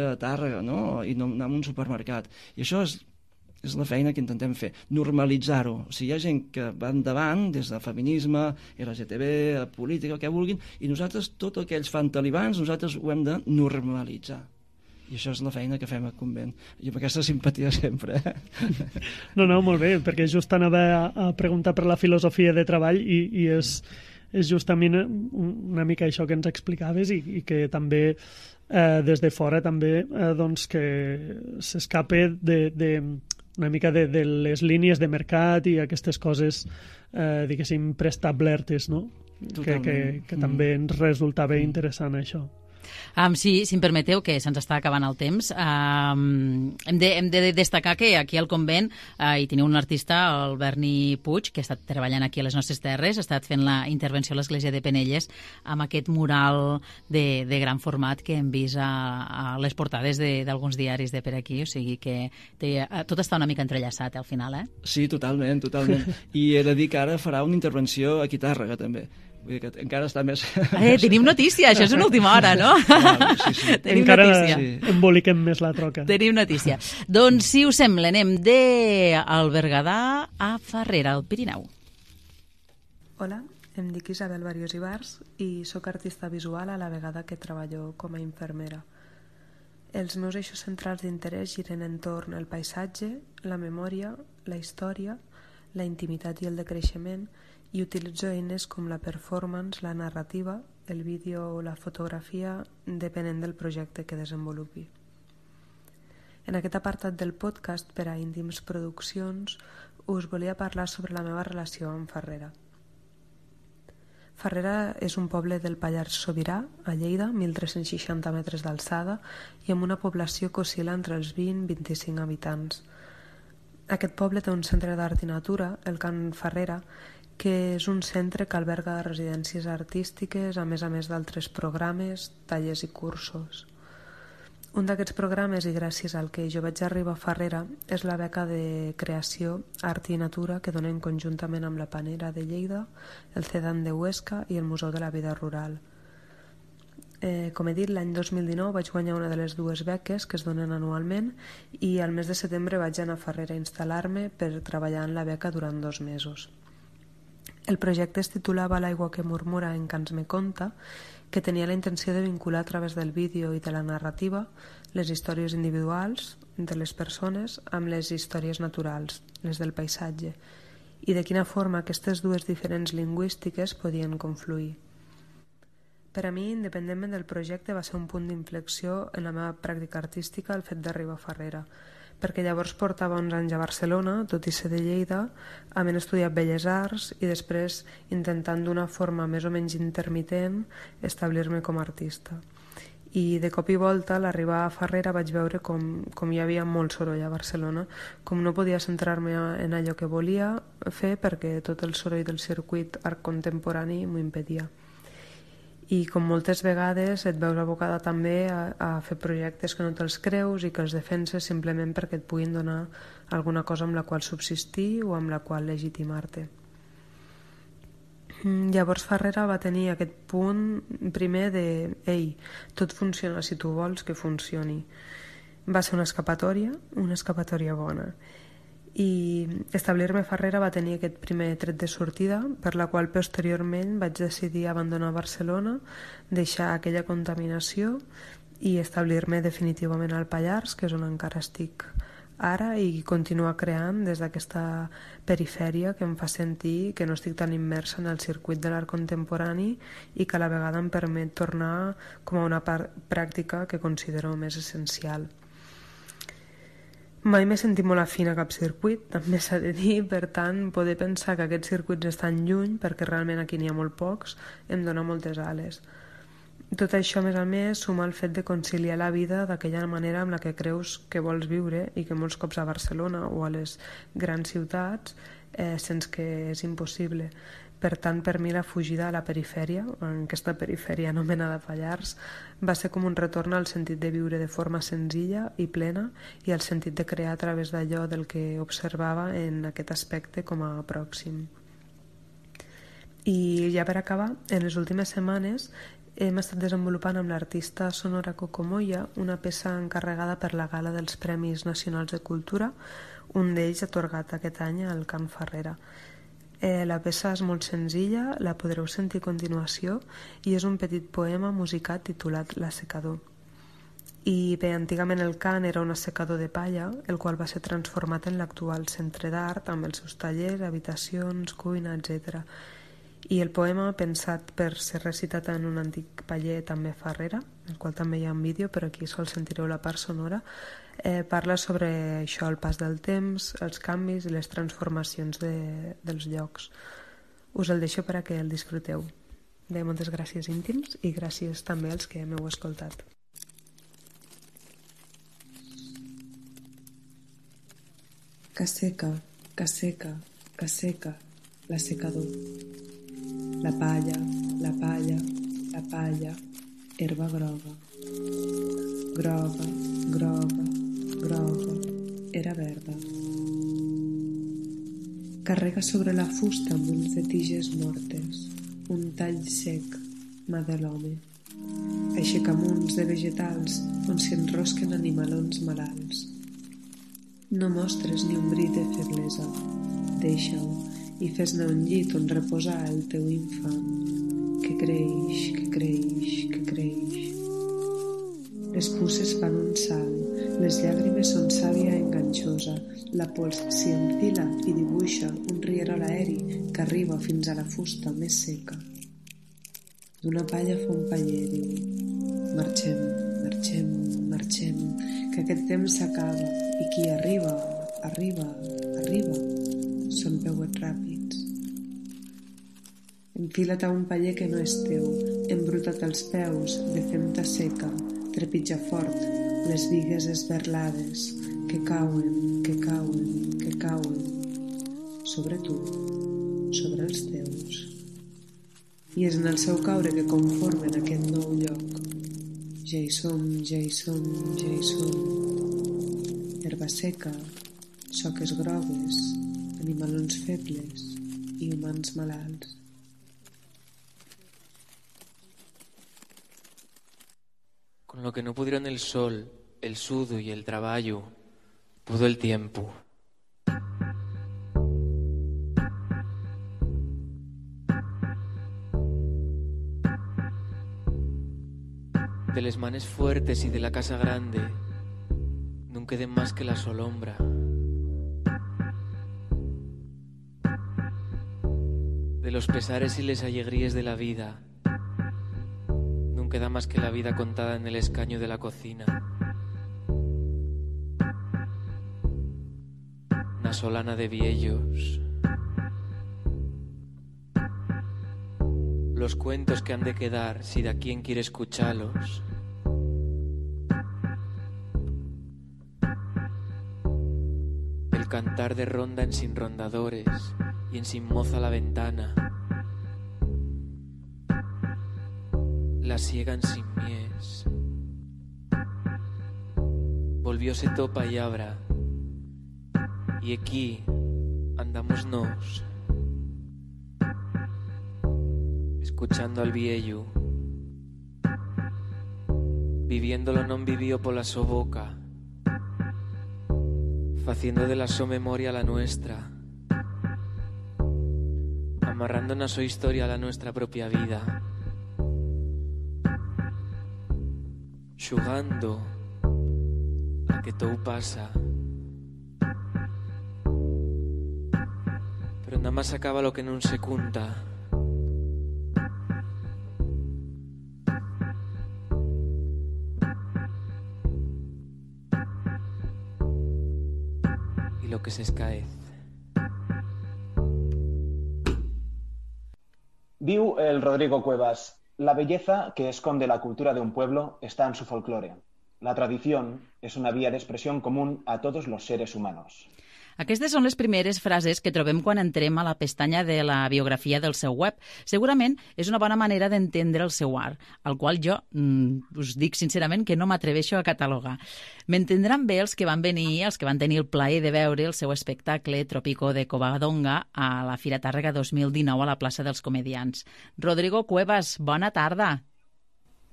a Tàrrega, no? I no anar a un supermercat. I això és la feina que intentem fer, normalitzar-ho. O sigui, hi ha gent que va endavant, des de feminisme, LGTB, política, el que vulguin, i nosaltres, tot el que ells fan talibans, nosaltres ho hem de normalitzar. I això és la feina que fem al convent. I amb aquesta simpatia sempre. No, molt bé, perquè just anava a preguntar per la filosofia de treball i és justament una mica això que ens explicaves i que també des de fora també doncs que s'escape una mica de les línies de mercat i aquestes coses diguéssim preestablertes, no? Que també ens resultava interessant això. Sí, si em permeteu, que se'ns està acabant el temps, hem de destacar que aquí al convent hi teniu un artista, el Berni Puig, que ha estat treballant aquí a les nostres terres, ha estat fent la intervenció a l'església de Penelles amb aquest mural de gran format que hem vist a les portades d'alguns diaris de per aquí, o sigui que tot està una mica entrellaçat al final, eh? Sí, totalment. I he de dir que ara farà una intervenció aquí a Tàrrega, també. Vull dir que encara està més... Tenim notícia, això és una última hora, no? Sí. Tenim encara notícia. emboliquem més la troca. Tenim notícia. Doncs, si us sembla, anem del Berguedà a Farrera, al Pirineu. Hola, em dic Isabel Barrios Ibars i sóc artista visual a la vegada que treballo com a infermera. Els meus eixos centrals d'interès giren entorn el paisatge, la memòria, la història, la intimitat i el decreixement, i utilitzo eines com la performance, la narrativa, el vídeo o la fotografia, depenent del projecte que desenvolupi. En aquest apartat del podcast per a Íntims Produccions us volia parlar sobre la meva relació amb Farrera. Farrera és un poble del Pallars Sobirà, a Lleida, 1.360 metres d'alçada i amb una població que oscil·la entre els 20 i 25 habitants. Aquest poble té un centre d'art i natura, el Can Farrera, que és un centre que alberga residències artístiques, a més d'altres programes, tallers i cursos. Un d'aquests programes, i gràcies al que jo vaig arribar a Farrera, és la beca de creació Art i Natura que donen conjuntament amb la Panera de Lleida, el CEDAN de Huesca i el Museu de la Vida Rural. Com he dit, l'any 2019 vaig guanyar una de les dues beques que es donen anualment i al mes de setembre vaig anar a Farrera a instal·lar-me per treballar en la beca durant 2 mesos. El projecte es titulava L'aigua que murmura en Cants me conta, que tenia la intenció de vincular a través del vídeo i de la narrativa les històries individuals de les persones amb les històries naturals, les del paisatge, i de quina forma aquestes dues diferents lingüístiques podien confluir. Per a mi, independentment del projecte, va ser un punt d'inflexió en la meva pràctica artística el fet d'arribar a Farrera, perquè llavors portava 11 anys a Barcelona, tot i ser de Lleida, havent estudiat Belles Arts i després intentant d'una forma més o menys intermitent establir-me com a artista. I de cop i volta, a l'arribar a Farrera vaig veure com hi havia molt soroll a Barcelona, com no podia centrar-me en allò que volia fer perquè tot el soroll del circuit art contemporani m'ho impedia. I com moltes vegades et veus abocada també a fer projectes que no te'ls creus i que els defenses simplement perquè et puguin donar alguna cosa amb la qual subsistir o amb la qual legitimar-te. Llavors Farrera va tenir aquest punt primer de «Ei, tot funciona si tu vols que funcioni». Va ser una escapatòria bona. I establir-me a Farrera va tenir aquest primer tret de sortida, per la qual posteriorment vaig decidir abandonar Barcelona, deixar aquella contaminació i establir-me definitivament al Pallars, que és on encara estic ara, i continuar creant des d'aquesta perifèria que em fa sentir que no estic tan immersa en el circuit de l'art contemporani i que a la vegada em permet tornar com a una pràctica que considero més essencial. Mai m'he sentit molt afín a cap circuit, també s'ha de dir, per tant, poder pensar que aquests circuits estan lluny, perquè realment aquí n'hi ha molt pocs, em dona moltes ales. Tot això, a més, suma el fet de conciliar la vida d'aquella manera amb la que creus que vols viure i que molts cops a Barcelona o a les grans ciutats sents que és impossible. Per tant, per mi la fugida a la perifèria, en aquesta perifèria anomenada Pallars, va ser com un retorn al sentit de viure de forma senzilla i plena i al sentit de crear a través d'allò del que observava en aquest aspecte com a pròxim. I ja per acabar, en les últimes setmanes hem estat desenvolupant amb l'artista Sonora Cocomoya una peça encarregada per la Gala dels Premis Nacionals de Cultura, un d'ells atorgat aquest any al Can Ferrera. La peça és molt senzilla, la podreu sentir a continuació i és un petit poema musicat titulat L'assecador. I bé, antigament el Can era un assecador de palla, el qual va ser transformat en l'actual centre d'art amb els seus tallers, habitacions, cuina, etc. I el poema, pensat per ser recitat en un antic paller també Ferrera, el qual també hi ha un vídeo, però aquí sol sentireu la part sonora, parla sobre això, el pas del temps, els canvis i les transformacions dels llocs. Us el deixo per a que el disfruteu. Bé, moltes gràcies íntims i gràcies també als que m'heu escoltat. Caseca, caseca, caseca, l'assecador. La palla, la palla, la palla, herba groga. Groga, groga, groga, era verda. Carrega sobre la fusta munts de tiges mortes, un tall sec, mà de l'home. Aixeca munts de vegetals on s'hi enrosquen animalons malalts. No mostres ni un bri de feblesa, deixa-ho i fes-ne un llit on reposar el teu infant, que creix, que creix, que creix. Les puces fan un salt, les llàgrimes són sàvia enganxosa, la pols s'hi enfila i dibuixa un rierol aeri que arriba fins a la fusta més seca. D'una palla fa un paller, diu: marxem, marxem, marxem, que aquest temps s'acaba i qui arriba, arriba, arriba. Són peuets ràpids. Enfila't a un paller que no és teu, embruta't els peus, de femta seca, trepitja fort, les bigues esberlades, que cauen, que cauen, que cauen, sobre tu, sobre els teus. I és en el seu caure que conformen aquest nou lloc. Ja hi som, ja hi som, ja hi som. Herba seca, soques grogues, animalons febles i humans malalts. Con lo que no pudieron el sol, el sudo y el trabajo, pudo el tiempo. De les manes fuertes y de la casa grande, no queden más que la solombra. De los pesares y les alegrías de la vida, no queda más que la vida contada en el escaño de la cocina. Una solana de viellos. Los cuentos que han de quedar si de quien quiere escucharlos. El cantar de ronda en sin rondadores y en sin moza la ventana. La siegan sin mies. Volvióse topa y abra. Y aquí andamos nos, escuchando al viejo, viviendo lo non vivió por la so boca, faciendo de la so memoria la nuestra, amarrando na so historia a la nuestra propia vida, xugando a que todo pasa, pero nada más acaba lo que non se cunta. Y lo que se escaece. Diu el Rodrigo Cuevas: la belleza que esconde la cultura de un pueblo está en su folclore. La tradición es una vía de expresión común a todos los seres humanos. Aquestes són les primeres frases que trobem quan entrem a la pestanya de la biografia del seu web. Segurament és una bona manera d'entendre el seu art, al qual jo us dic sincerament que no m'atreveixo a catalogar. M'entendran bé els que van venir, els que van tenir el plaer de veure el seu espectacle Tropico de Covadonga a la Fira Tàrrega 2019 a la plaça dels Comedians. Rodrigo Cuevas, bona tarda.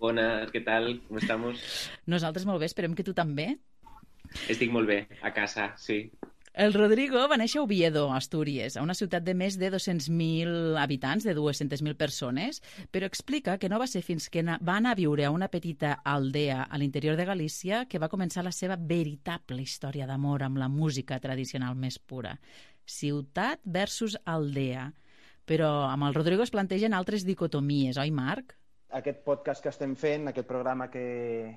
Bones, què tal? Com estamos? Nosaltres molt bé, esperem que tu també. Estic molt bé, a casa, sí. El Rodrigo va néixer a Oviedo, Astúries, a una ciutat de més de 200.000 habitants, de 200.000 persones, però explica que no va ser fins que va anar a viure a una petita aldea a l'interior de Galícia que va començar la seva veritable història d'amor amb la música tradicional més pura. Ciutat versus aldea. Però amb el Rodrigo es plantegen altres dicotomies, oi, Marc? Aquest podcast que estem fent, aquest programa que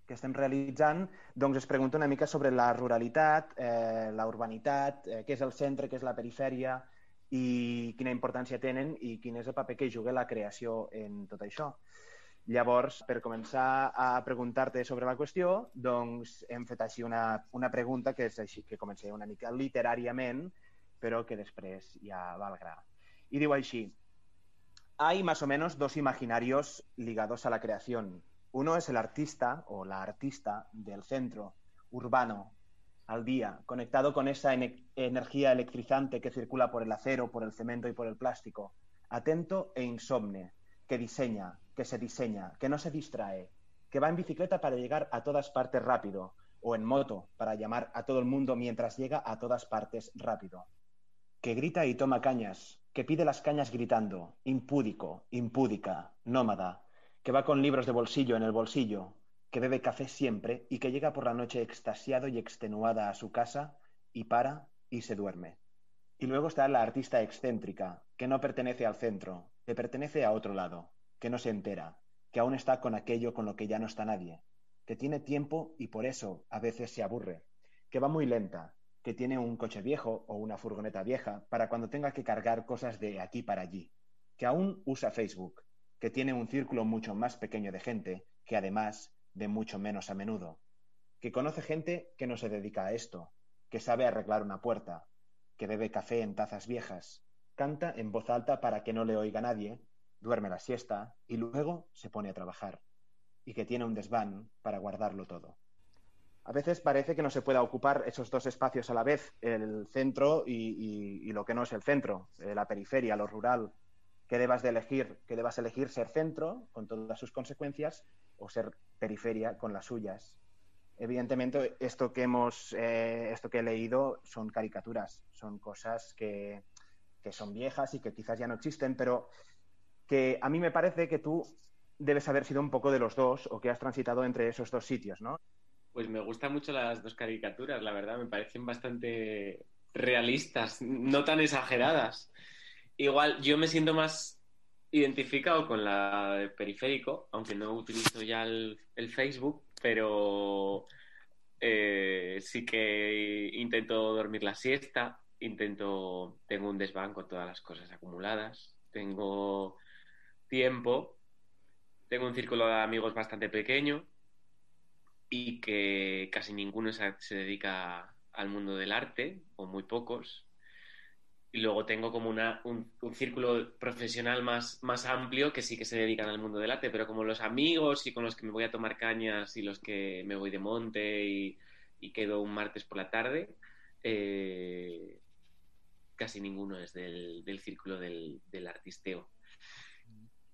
estem realitzant, doncs es pregunta una mica sobre la ruralitat, la urbanitat, què és el centre, què és la perifèria i quina importància tenen i quin és el paper que juga la creació en tot això. Llavors, per començar a preguntar-te sobre la qüestió, doncs hem fet així una pregunta que és així, que comença una mica literàriament, però que després ja va al gra. Y digo así: hay más o menos dos imaginarios ligados a la creación. Uno es el artista o la artista del centro, urbano, al día, conectado con esa energía electrizante que circula por el acero, por el cemento y por el plástico, atento e insomne, que diseña, que se diseña, que no se distrae, que va en bicicleta para llegar a todas partes rápido, o en moto para llamar a todo el mundo mientras llega a todas partes rápido. Que grita y toma cañas, que pide las cañas gritando, impúdico, impúdica, nómada, que va con libros de bolsillo en el bolsillo, que bebe café siempre y que llega por la noche extasiado y extenuada a su casa y para y se duerme. Y luego está la artista excéntrica, que no pertenece al centro, que pertenece a otro lado, que no se entera, que aún está con aquello con lo que ya no está nadie, que tiene tiempo y por eso a veces se aburre, que va muy lenta, que tiene un coche viejo o una furgoneta vieja para cuando tenga que cargar cosas de aquí para allí, que aún usa Facebook, que tiene un círculo mucho más pequeño de gente, que además de mucho menos a menudo, que conoce gente que no se dedica a esto, que sabe arreglar una puerta, que bebe café en tazas viejas, canta en voz alta para que no le oiga nadie, duerme la siesta y luego se pone a trabajar, y que tiene un desván para guardarlo todo. A veces parece que no se pueda ocupar esos dos espacios a la vez, el centro y lo que no es el centro, la periferia, lo rural, que debas elegir ser centro con todas sus consecuencias o ser periferia con las suyas. Evidentemente, esto que he leído son caricaturas, son cosas que son viejas y que quizás ya no existen, pero que a mí me parece que tú debes haber sido un poco de los dos o que has transitado entre esos dos sitios, ¿no? Pues me gustan mucho las dos caricaturas, la verdad, me parecen bastante realistas, no tan exageradas. Igual, yo me siento más identificado con la de Periférico, aunque no utilizo ya el Facebook, pero sí que intento dormir la siesta, tengo un desván con todas las cosas acumuladas, tengo tiempo, tengo un círculo de amigos bastante pequeño y que casi ninguno se dedica al mundo del arte, o muy pocos. Y luego tengo como un círculo profesional más amplio que sí que se dedican al mundo del arte, pero como los amigos y con los que me voy a tomar cañas y los que me voy de monte y quedo un martes por la tarde, casi ninguno es del círculo del artisteo.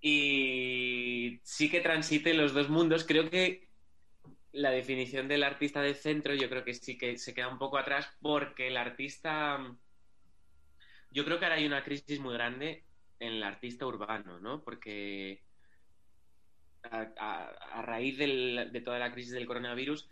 Y sí que transite los dos mundos. Creo que la definición del artista de centro yo creo que sí que se queda un poco atrás, porque el artista... Yo creo que ahora hay una crisis muy grande en el artista urbano, ¿no? Porque a raíz de toda la crisis del coronavirus,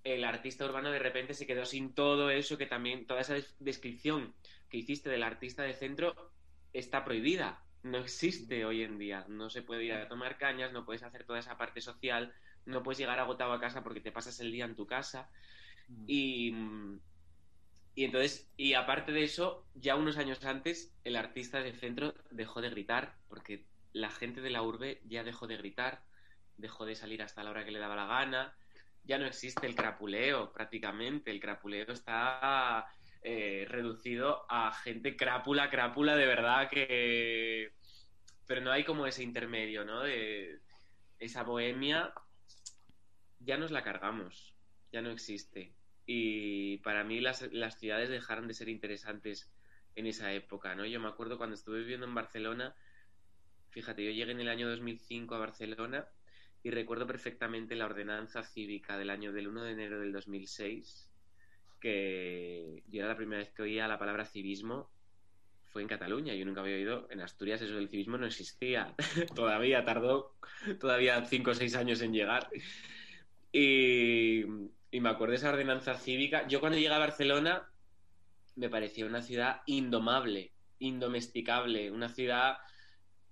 el artista urbano de repente se quedó sin todo eso, que también toda esa descripción que hiciste del artista de centro está prohibida. No existe hoy en día. No se puede ir a tomar cañas, no puedes hacer toda esa parte social, no puedes llegar agotado a casa porque te pasas el día en tu casa. Y entonces, y aparte de eso, ya unos años antes, el artista de centro dejó de gritar, porque la gente de la urbe ya dejó de gritar, dejó de salir hasta la hora que le daba la gana, ya no existe el crapuleo prácticamente, el crapuleo está reducido a gente crápula de verdad que... Pero no hay como ese intermedio, ¿no? De esa bohemia ya nos la cargamos, ya no existe. Y para mí las ciudades dejaron de ser interesantes en esa época, ¿no? Yo me acuerdo cuando estuve viviendo en Barcelona, fíjate, yo llegué en el año 2005 a Barcelona y recuerdo perfectamente la ordenanza cívica del 1 de enero del 2006, que yo era la primera vez que oía la palabra civismo, fue en Cataluña. Yo nunca había oído, en Asturias eso del civismo no existía. Tardó 5 o 6 años en llegar. Y me acuerdo de esa ordenanza cívica. Yo cuando llegué a Barcelona me parecía una ciudad indomable, indomesticable, una ciudad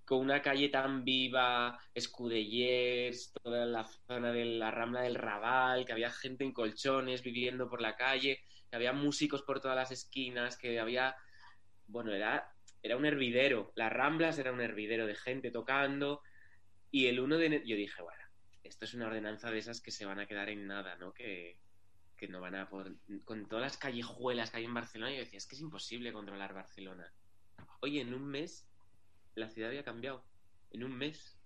con una calle tan viva, Escudellers, toda la zona de la Rambla del Raval, que había gente en colchones viviendo por la calle, que había músicos por todas las esquinas, que había... Bueno, era un hervidero. Las Ramblas era un hervidero de gente tocando. Y el 1 de enero yo dije, bueno, esto es una ordenanza de esas que se van a quedar en nada, ¿no? Que no van a poder... Con todas las callejuelas que hay en Barcelona, yo decía, es que es imposible controlar Barcelona. Oye, en un mes la ciudad había cambiado. En un mes.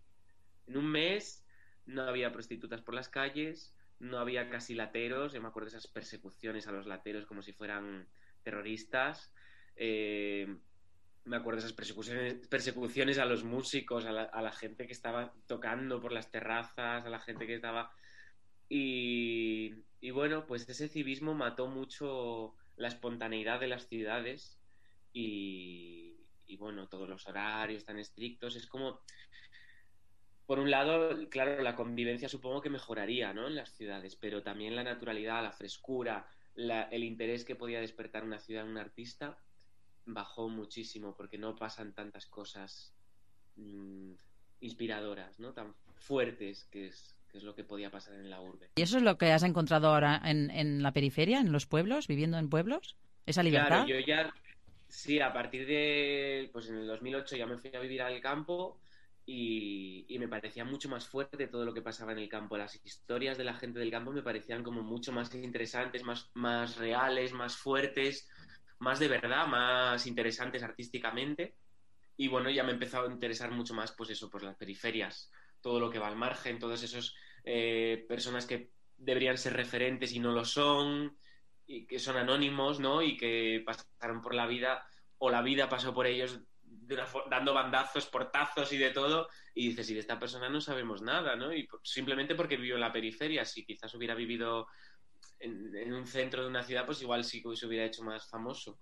En un mes no había prostitutas por las calles, no había casi lateros. Yo me acuerdo de esas persecuciones a los lateros como si fueran terroristas. Me acuerdo de esas persecuciones a los músicos, a la gente que estaba tocando por las terrazas, a la gente que estaba... Y bueno, pues ese civismo mató mucho la espontaneidad de las ciudades y bueno, todos los horarios tan estrictos. Es como... Por un lado, claro, la convivencia supongo que mejoraría, ¿no?, en las ciudades, pero también la naturalidad, la frescura, el interés que podía despertar una ciudad en un artista bajó muchísimo porque no pasan tantas cosas inspiradoras, ¿no?, tan fuertes que es lo que podía pasar en la urbe. ¿Y eso es lo que has encontrado ahora en la periferia, en los pueblos, viviendo en pueblos? ¿Esa libertad? Claro, yo ya, sí, a partir de, pues en el 2008 ya me fui a vivir al campo y me parecía mucho más fuerte todo lo que pasaba en el campo. Las historias de la gente del campo me parecían como mucho más interesantes, más reales, más fuertes, más de verdad, más interesantes artísticamente. Y bueno, ya me empezó a interesar mucho más, pues eso, por las periferias, todo lo que va al margen, todos esos personas que deberían ser referentes y no lo son, y que son anónimos, ¿no?, y que pasaron por la vida, o la vida pasó por ellos dando bandazos, portazos y de todo, y dices, y de esta persona no sabemos nada, ¿no? Y simplemente porque vivió en la periferia. Si quizás hubiera vivido en un centro de una ciudad, pues igual sí que se hubiera hecho más famoso.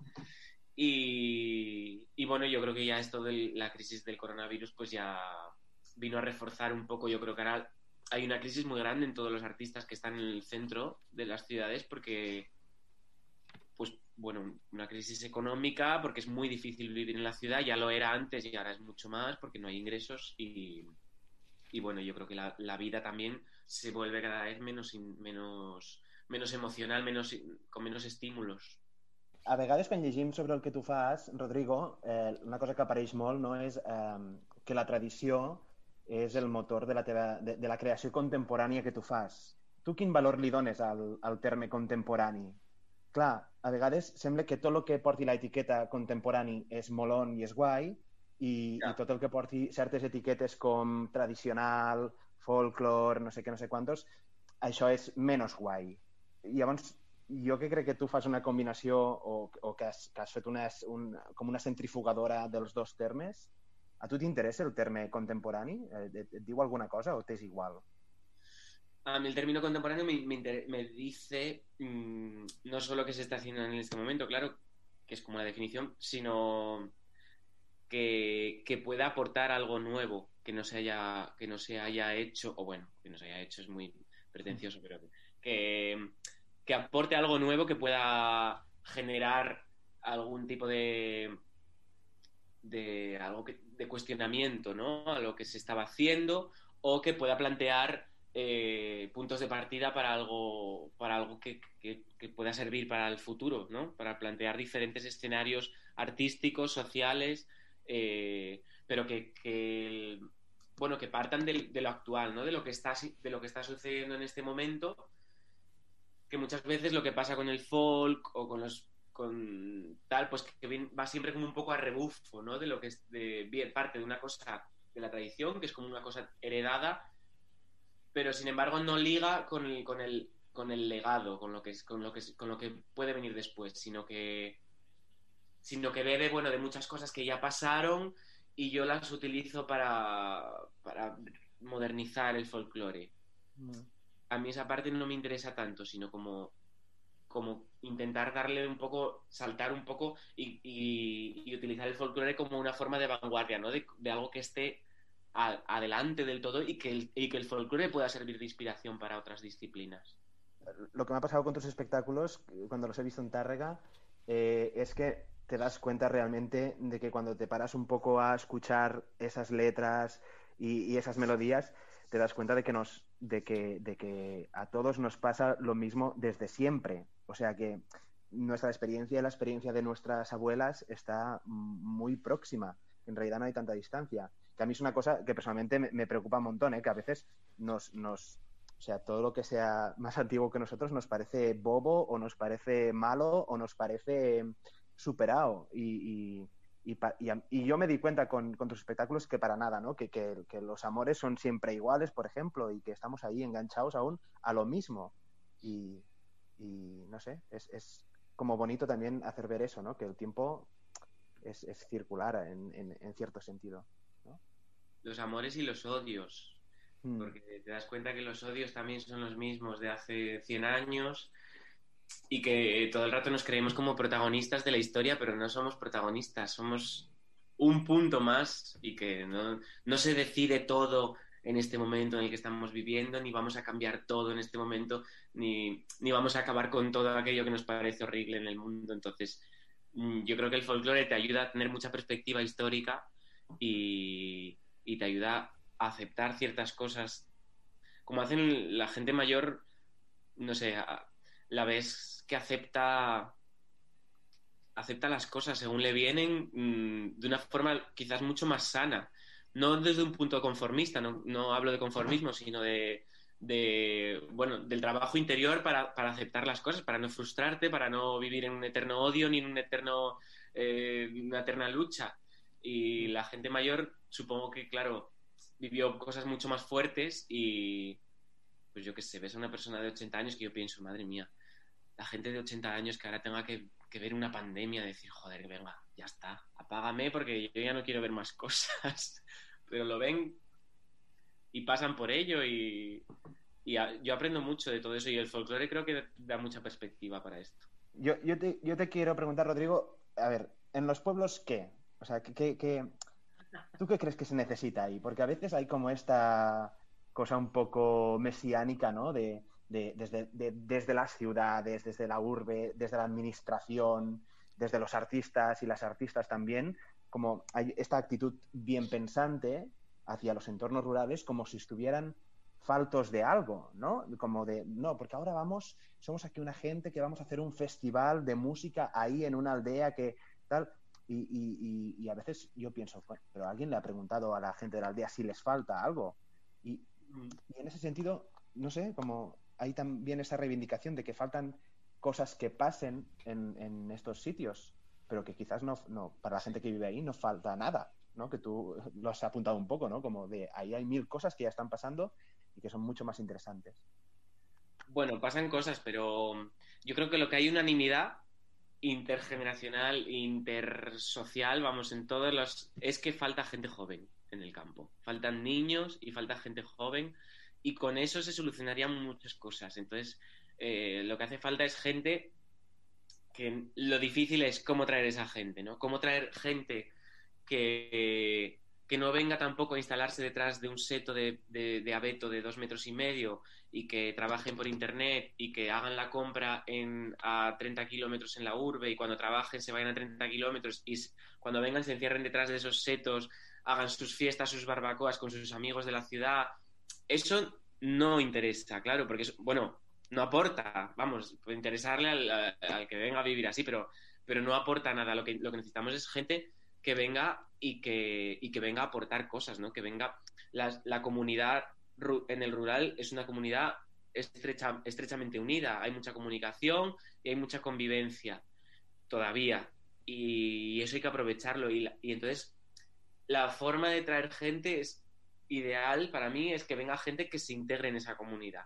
Y bueno, yo creo que ya esto de la crisis del coronavirus pues ya vino a reforzar un poco. Yo creo que ahora hay una crisis muy grande en todos los artistas que están en el centro de las ciudades porque, pues bueno, una crisis económica porque es muy difícil vivir en la ciudad. Ya lo era antes y ahora es mucho más porque no hay ingresos y bueno, yo creo que la vida también se vuelve cada vez menos emocional, con menos estímulos. A vegades, quan llegim sobre el que tu fas, Rodrigo, una cosa que apareix molt, no, és que la tradició és el motor de la creació contemporània que tu fas. Tu quin valor li dones al terme contemporani? Clar, a vegades sembla que tot el que porti l'etiqueta contemporani és molon i és guai i tot el que porti certes etiquetes com tradicional, folklore, no sé què, no sé quantos, això és menys guai. Llavors, jo que crec que tu fas una combinació o que has fet com una centrifugadora dels dos termes. A tu t'interessa el terme contemporani? Et diu alguna cosa o t'és igual? A mí el término contemporáneo me dice no solo qué se está haciendo en este momento, claro, que es como la definición, sino que pueda aportar algo nuevo que no se haya hecho, o bueno, que no se haya hecho es muy pretencioso, pero que aporte algo nuevo que pueda generar algún tipo de cuestionamiento, ¿no?, a lo que se estaba haciendo, o que pueda plantear puntos de partida para algo que pueda servir para el futuro, ¿no?, para plantear diferentes escenarios artísticos, sociales, pero que partan de lo actual, ¿no?, de lo que está sucediendo en este momento, que muchas veces lo que pasa con el folk o con los tal, pues que va siempre como un poco a rebufo, ¿no? De lo que es bien parte de una cosa de la tradición, que es como una cosa heredada, pero sin embargo no liga con el legado, con lo que puede venir después, sino que bebe, bueno, de muchas cosas que ya pasaron y yo las utilizo para modernizar el folclore. A mí esa parte no me interesa tanto, sino como intentar darle un poco, saltar un poco y utilizar el folclore como una forma de vanguardia, ¿no? De algo que esté adelante del todo y que el folclore pueda servir de inspiración para otras disciplinas. Lo que me ha pasado con tus espectáculos, cuando los he visto en Tárrega, es que te das cuenta realmente de que cuando te paras un poco a escuchar esas letras y esas melodías, te das cuenta de que a todos nos pasa lo mismo desde siempre. O sea que nuestra experiencia y la experiencia de nuestras abuelas está muy próxima. En realidad no hay tanta distancia. Que a mí es una cosa que personalmente me preocupa un montón, que a veces o sea, todo lo que sea más antiguo que nosotros nos parece bobo o nos parece malo o nos parece superado. Y yo me di cuenta con tus espectáculos que para nada, ¿no? Que los amores son siempre iguales, por ejemplo, y que estamos ahí enganchados aún a lo mismo. Y no sé, es como bonito también hacer ver eso, ¿no? Que el tiempo es circular en cierto sentido, ¿no? Los amores y los odios. Porque te das cuenta que los odios también son los mismos de hace 100 años y que todo el rato nos creemos como protagonistas de la historia, pero no somos protagonistas, somos un punto más y que no se decide todo en este momento en el que estamos viviendo, ni vamos a cambiar todo en este momento, ni vamos a acabar con todo aquello que nos parece horrible en el mundo. Entonces, yo creo que el folclore te ayuda a tener mucha perspectiva histórica y te ayuda a aceptar ciertas cosas, como hacen la gente mayor, no sé, la ves que acepta las cosas según le vienen, de una forma quizás mucho más sana, no desde un punto conformista, no hablo de conformismo, sino bueno, del trabajo interior para aceptar las cosas, para no frustrarte, para no vivir en un eterno odio ni en una eterna lucha. Y la gente mayor, supongo que, claro, vivió cosas mucho más fuertes y, pues yo qué sé, ves a una persona de 80 años que yo pienso, madre mía, la gente de 80 años que ahora tenga que ver una pandemia, decir, joder, venga, ya está, apágame porque yo ya no quiero ver más cosas. Pero lo ven y pasan por ello y yo aprendo mucho de todo eso y el folclore creo que da mucha perspectiva para esto. Yo te quiero preguntar, Rodrigo, a ver, ¿en los pueblos qué? O sea, ¿tú qué crees que se necesita ahí? Porque a veces hay como esta cosa un poco mesiánica, ¿no? Desde las ciudades, desde la urbe, desde la administración, desde los artistas y las artistas también, como hay esta actitud bien pensante hacia los entornos rurales como si estuvieran faltos de algo, ¿no? Como de, no, porque ahora somos aquí una gente que vamos a hacer un festival de música ahí en una aldea que tal... Y a veces yo pienso, bueno, pero alguien le ha preguntado a la gente de la aldea si les falta algo. Y en ese sentido, no sé, como hay también esa reivindicación de que faltan cosas que pasen en estos sitios, pero que quizás no para la gente que vive ahí no falta nada, ¿no? Que tú lo has apuntado un poco, ¿no? Como de ahí hay 1000 cosas que ya están pasando y que son mucho más interesantes. Bueno, pasan cosas, pero yo creo que lo que hay unanimidad intergeneracional, intersocial, vamos, en todos los... es que falta gente joven en el campo. Faltan niños y falta gente joven y con eso se solucionarían muchas cosas. Entonces, lo que hace falta es gente que lo difícil es cómo traer esa gente, ¿no? Cómo traer gente que no venga tampoco a instalarse detrás de un seto de abeto de 2,5 metros y que trabajen por internet y que hagan la compra a 30 kilómetros en la urbe y cuando trabajen se vayan a 30 kilómetros y cuando vengan se encierren detrás de esos setos, hagan sus fiestas, sus barbacoas con sus amigos de la ciudad. Eso no interesa, claro, porque bueno, no aporta, vamos, puede interesarle al que venga a vivir así, pero no aporta nada. Lo que necesitamos es gente que venga y que venga a aportar cosas, ¿no? Que venga... La comunidad en el rural es una comunidad estrechamente unida, hay mucha comunicación y hay mucha convivencia. todavía, y eso hay que aprovecharlo. Y entonces la forma de traer gente es ideal para mí, es que venga gente que se integre en esa comunidad.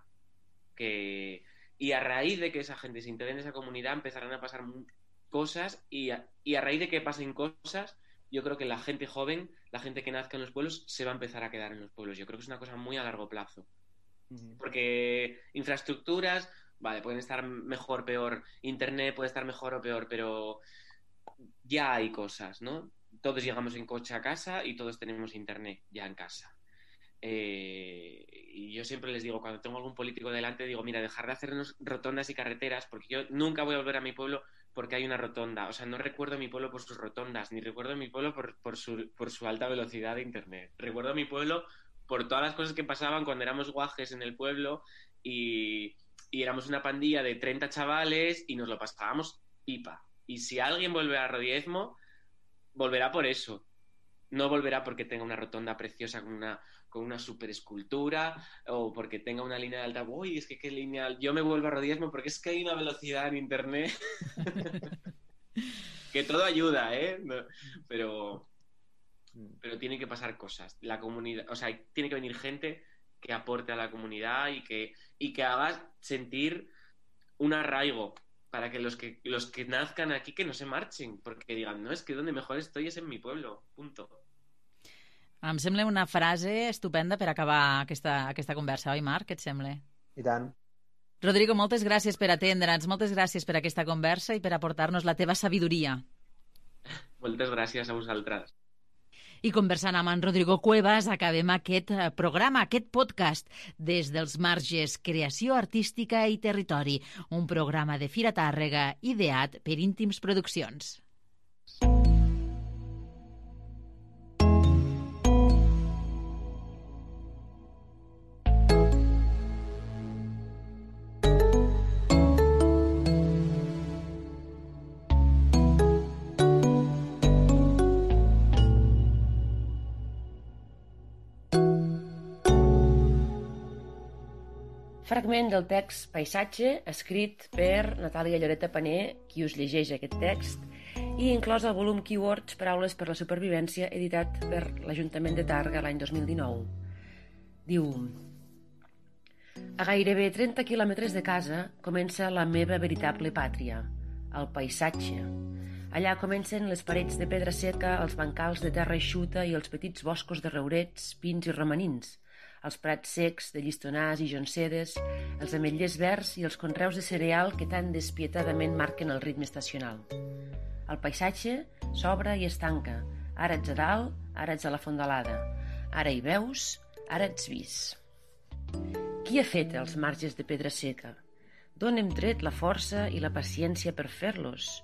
Y a raíz de que esa gente se integre en esa comunidad empezarán a pasar cosas, y a raíz de que pasen cosas, yo creo que la gente joven, la gente que nazca en los pueblos, se va a empezar a quedar en los pueblos. Yo creo que es una cosa muy a largo plazo. Porque infraestructuras, vale, pueden estar mejor, peor, internet puede estar mejor o peor, pero ya hay cosas, ¿no? Todos llegamos en coche a casa y todos tenemos internet ya en casa. Y yo siempre les digo, cuando tengo algún político delante, digo, mira, dejar de hacernos rotondas y carreteras, porque yo nunca voy a volver a mi pueblo porque hay una rotonda. O sea, no recuerdo a mi pueblo por sus rotondas, ni recuerdo a mi pueblo por su alta velocidad de internet. Recuerdo a mi pueblo por todas las cosas que pasaban cuando éramos guajes en el pueblo y éramos una pandilla de 30 chavales y nos lo pasábamos pipa. Y si alguien vuelve a Rodiezmo, volverá por eso. No volverá porque tenga una rotonda preciosa con una super escultura o porque tenga una línea de alta. Uy, es que qué línea. Yo me vuelvo a Rodiezmo porque es que hay una velocidad en internet que todo ayuda, ¿eh? Pero tienen que pasar cosas. La comunidad, o sea, tiene que venir gente que aporte a la comunidad y que haga sentir un arraigo para que los que nazcan aquí que no se marchen, porque digan, no, es que donde mejor estoy es en mi pueblo, punto. Em sembla una frase estupenda per acabar aquesta conversa, oi, Marc? Què et sembla? I tant. Rodrigo, moltes gràcies per atendre'ns, moltes gràcies per aquesta conversa i per aportar-nos la teva sabidoria. Moltes gràcies a vosaltres. I conversant amb en Rodrigo Cuevas acabem aquest programa, aquest podcast des dels marges Creació Artística i Territori, un programa de Fira Tàrrega ideat per Íntims Produccions. Fragment del text Paisatge, escrit per Natàlia Lloreta Paner, qui us llegeix aquest text, i inclòs al volum Keywords, Paraules per la Supervivència, editat per l'Ajuntament de Tàrrega l'any 2019. Diu: a gairebé 30 quilòmetres de casa comença la meva veritable pàtria, el paisatge. Allà comencen les parets de pedra seca, els bancals de terra eixuta i els petits boscos de rourets, pins i romanins, els prats secs de llistonars i joncedes, els ametllers verds i els conreus de cereal que tan despietadament marquen el ritme estacional. El paisatge s'obre i es tanca. Ara ets a dalt, ara ets a la fondalada. Ara hi veus, ara ets vist. Qui ha fet els marges de pedra seca? D'on hem tret la força i la paciència per fer-los?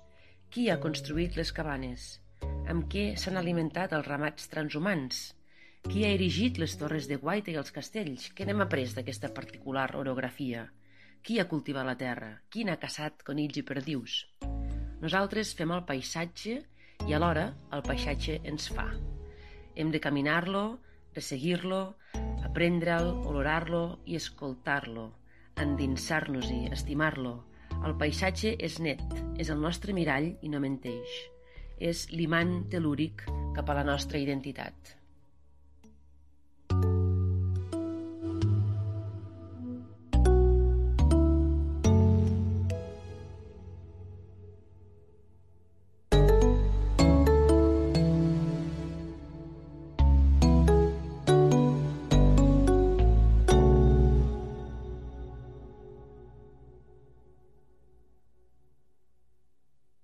Qui ha construït les cabanes? Amb què s'han alimentat els ramats transhumants? Qui ha erigit les torres de guaita i els castells? Què n'hem après d'aquesta particular orografia? Qui ha cultivat la terra? Qui n'ha caçat conills i perdius? Nosaltres fem el paisatge i alhora el paisatge ens fa. Hem de caminar-lo, resseguir-lo, aprendre'l, olorar-lo i escoltar-lo, endinsar-nos-hi, estimar-lo. El paisatge és net, és el nostre mirall i no menteix. És l'imant tel·lúric cap a la nostra identitat.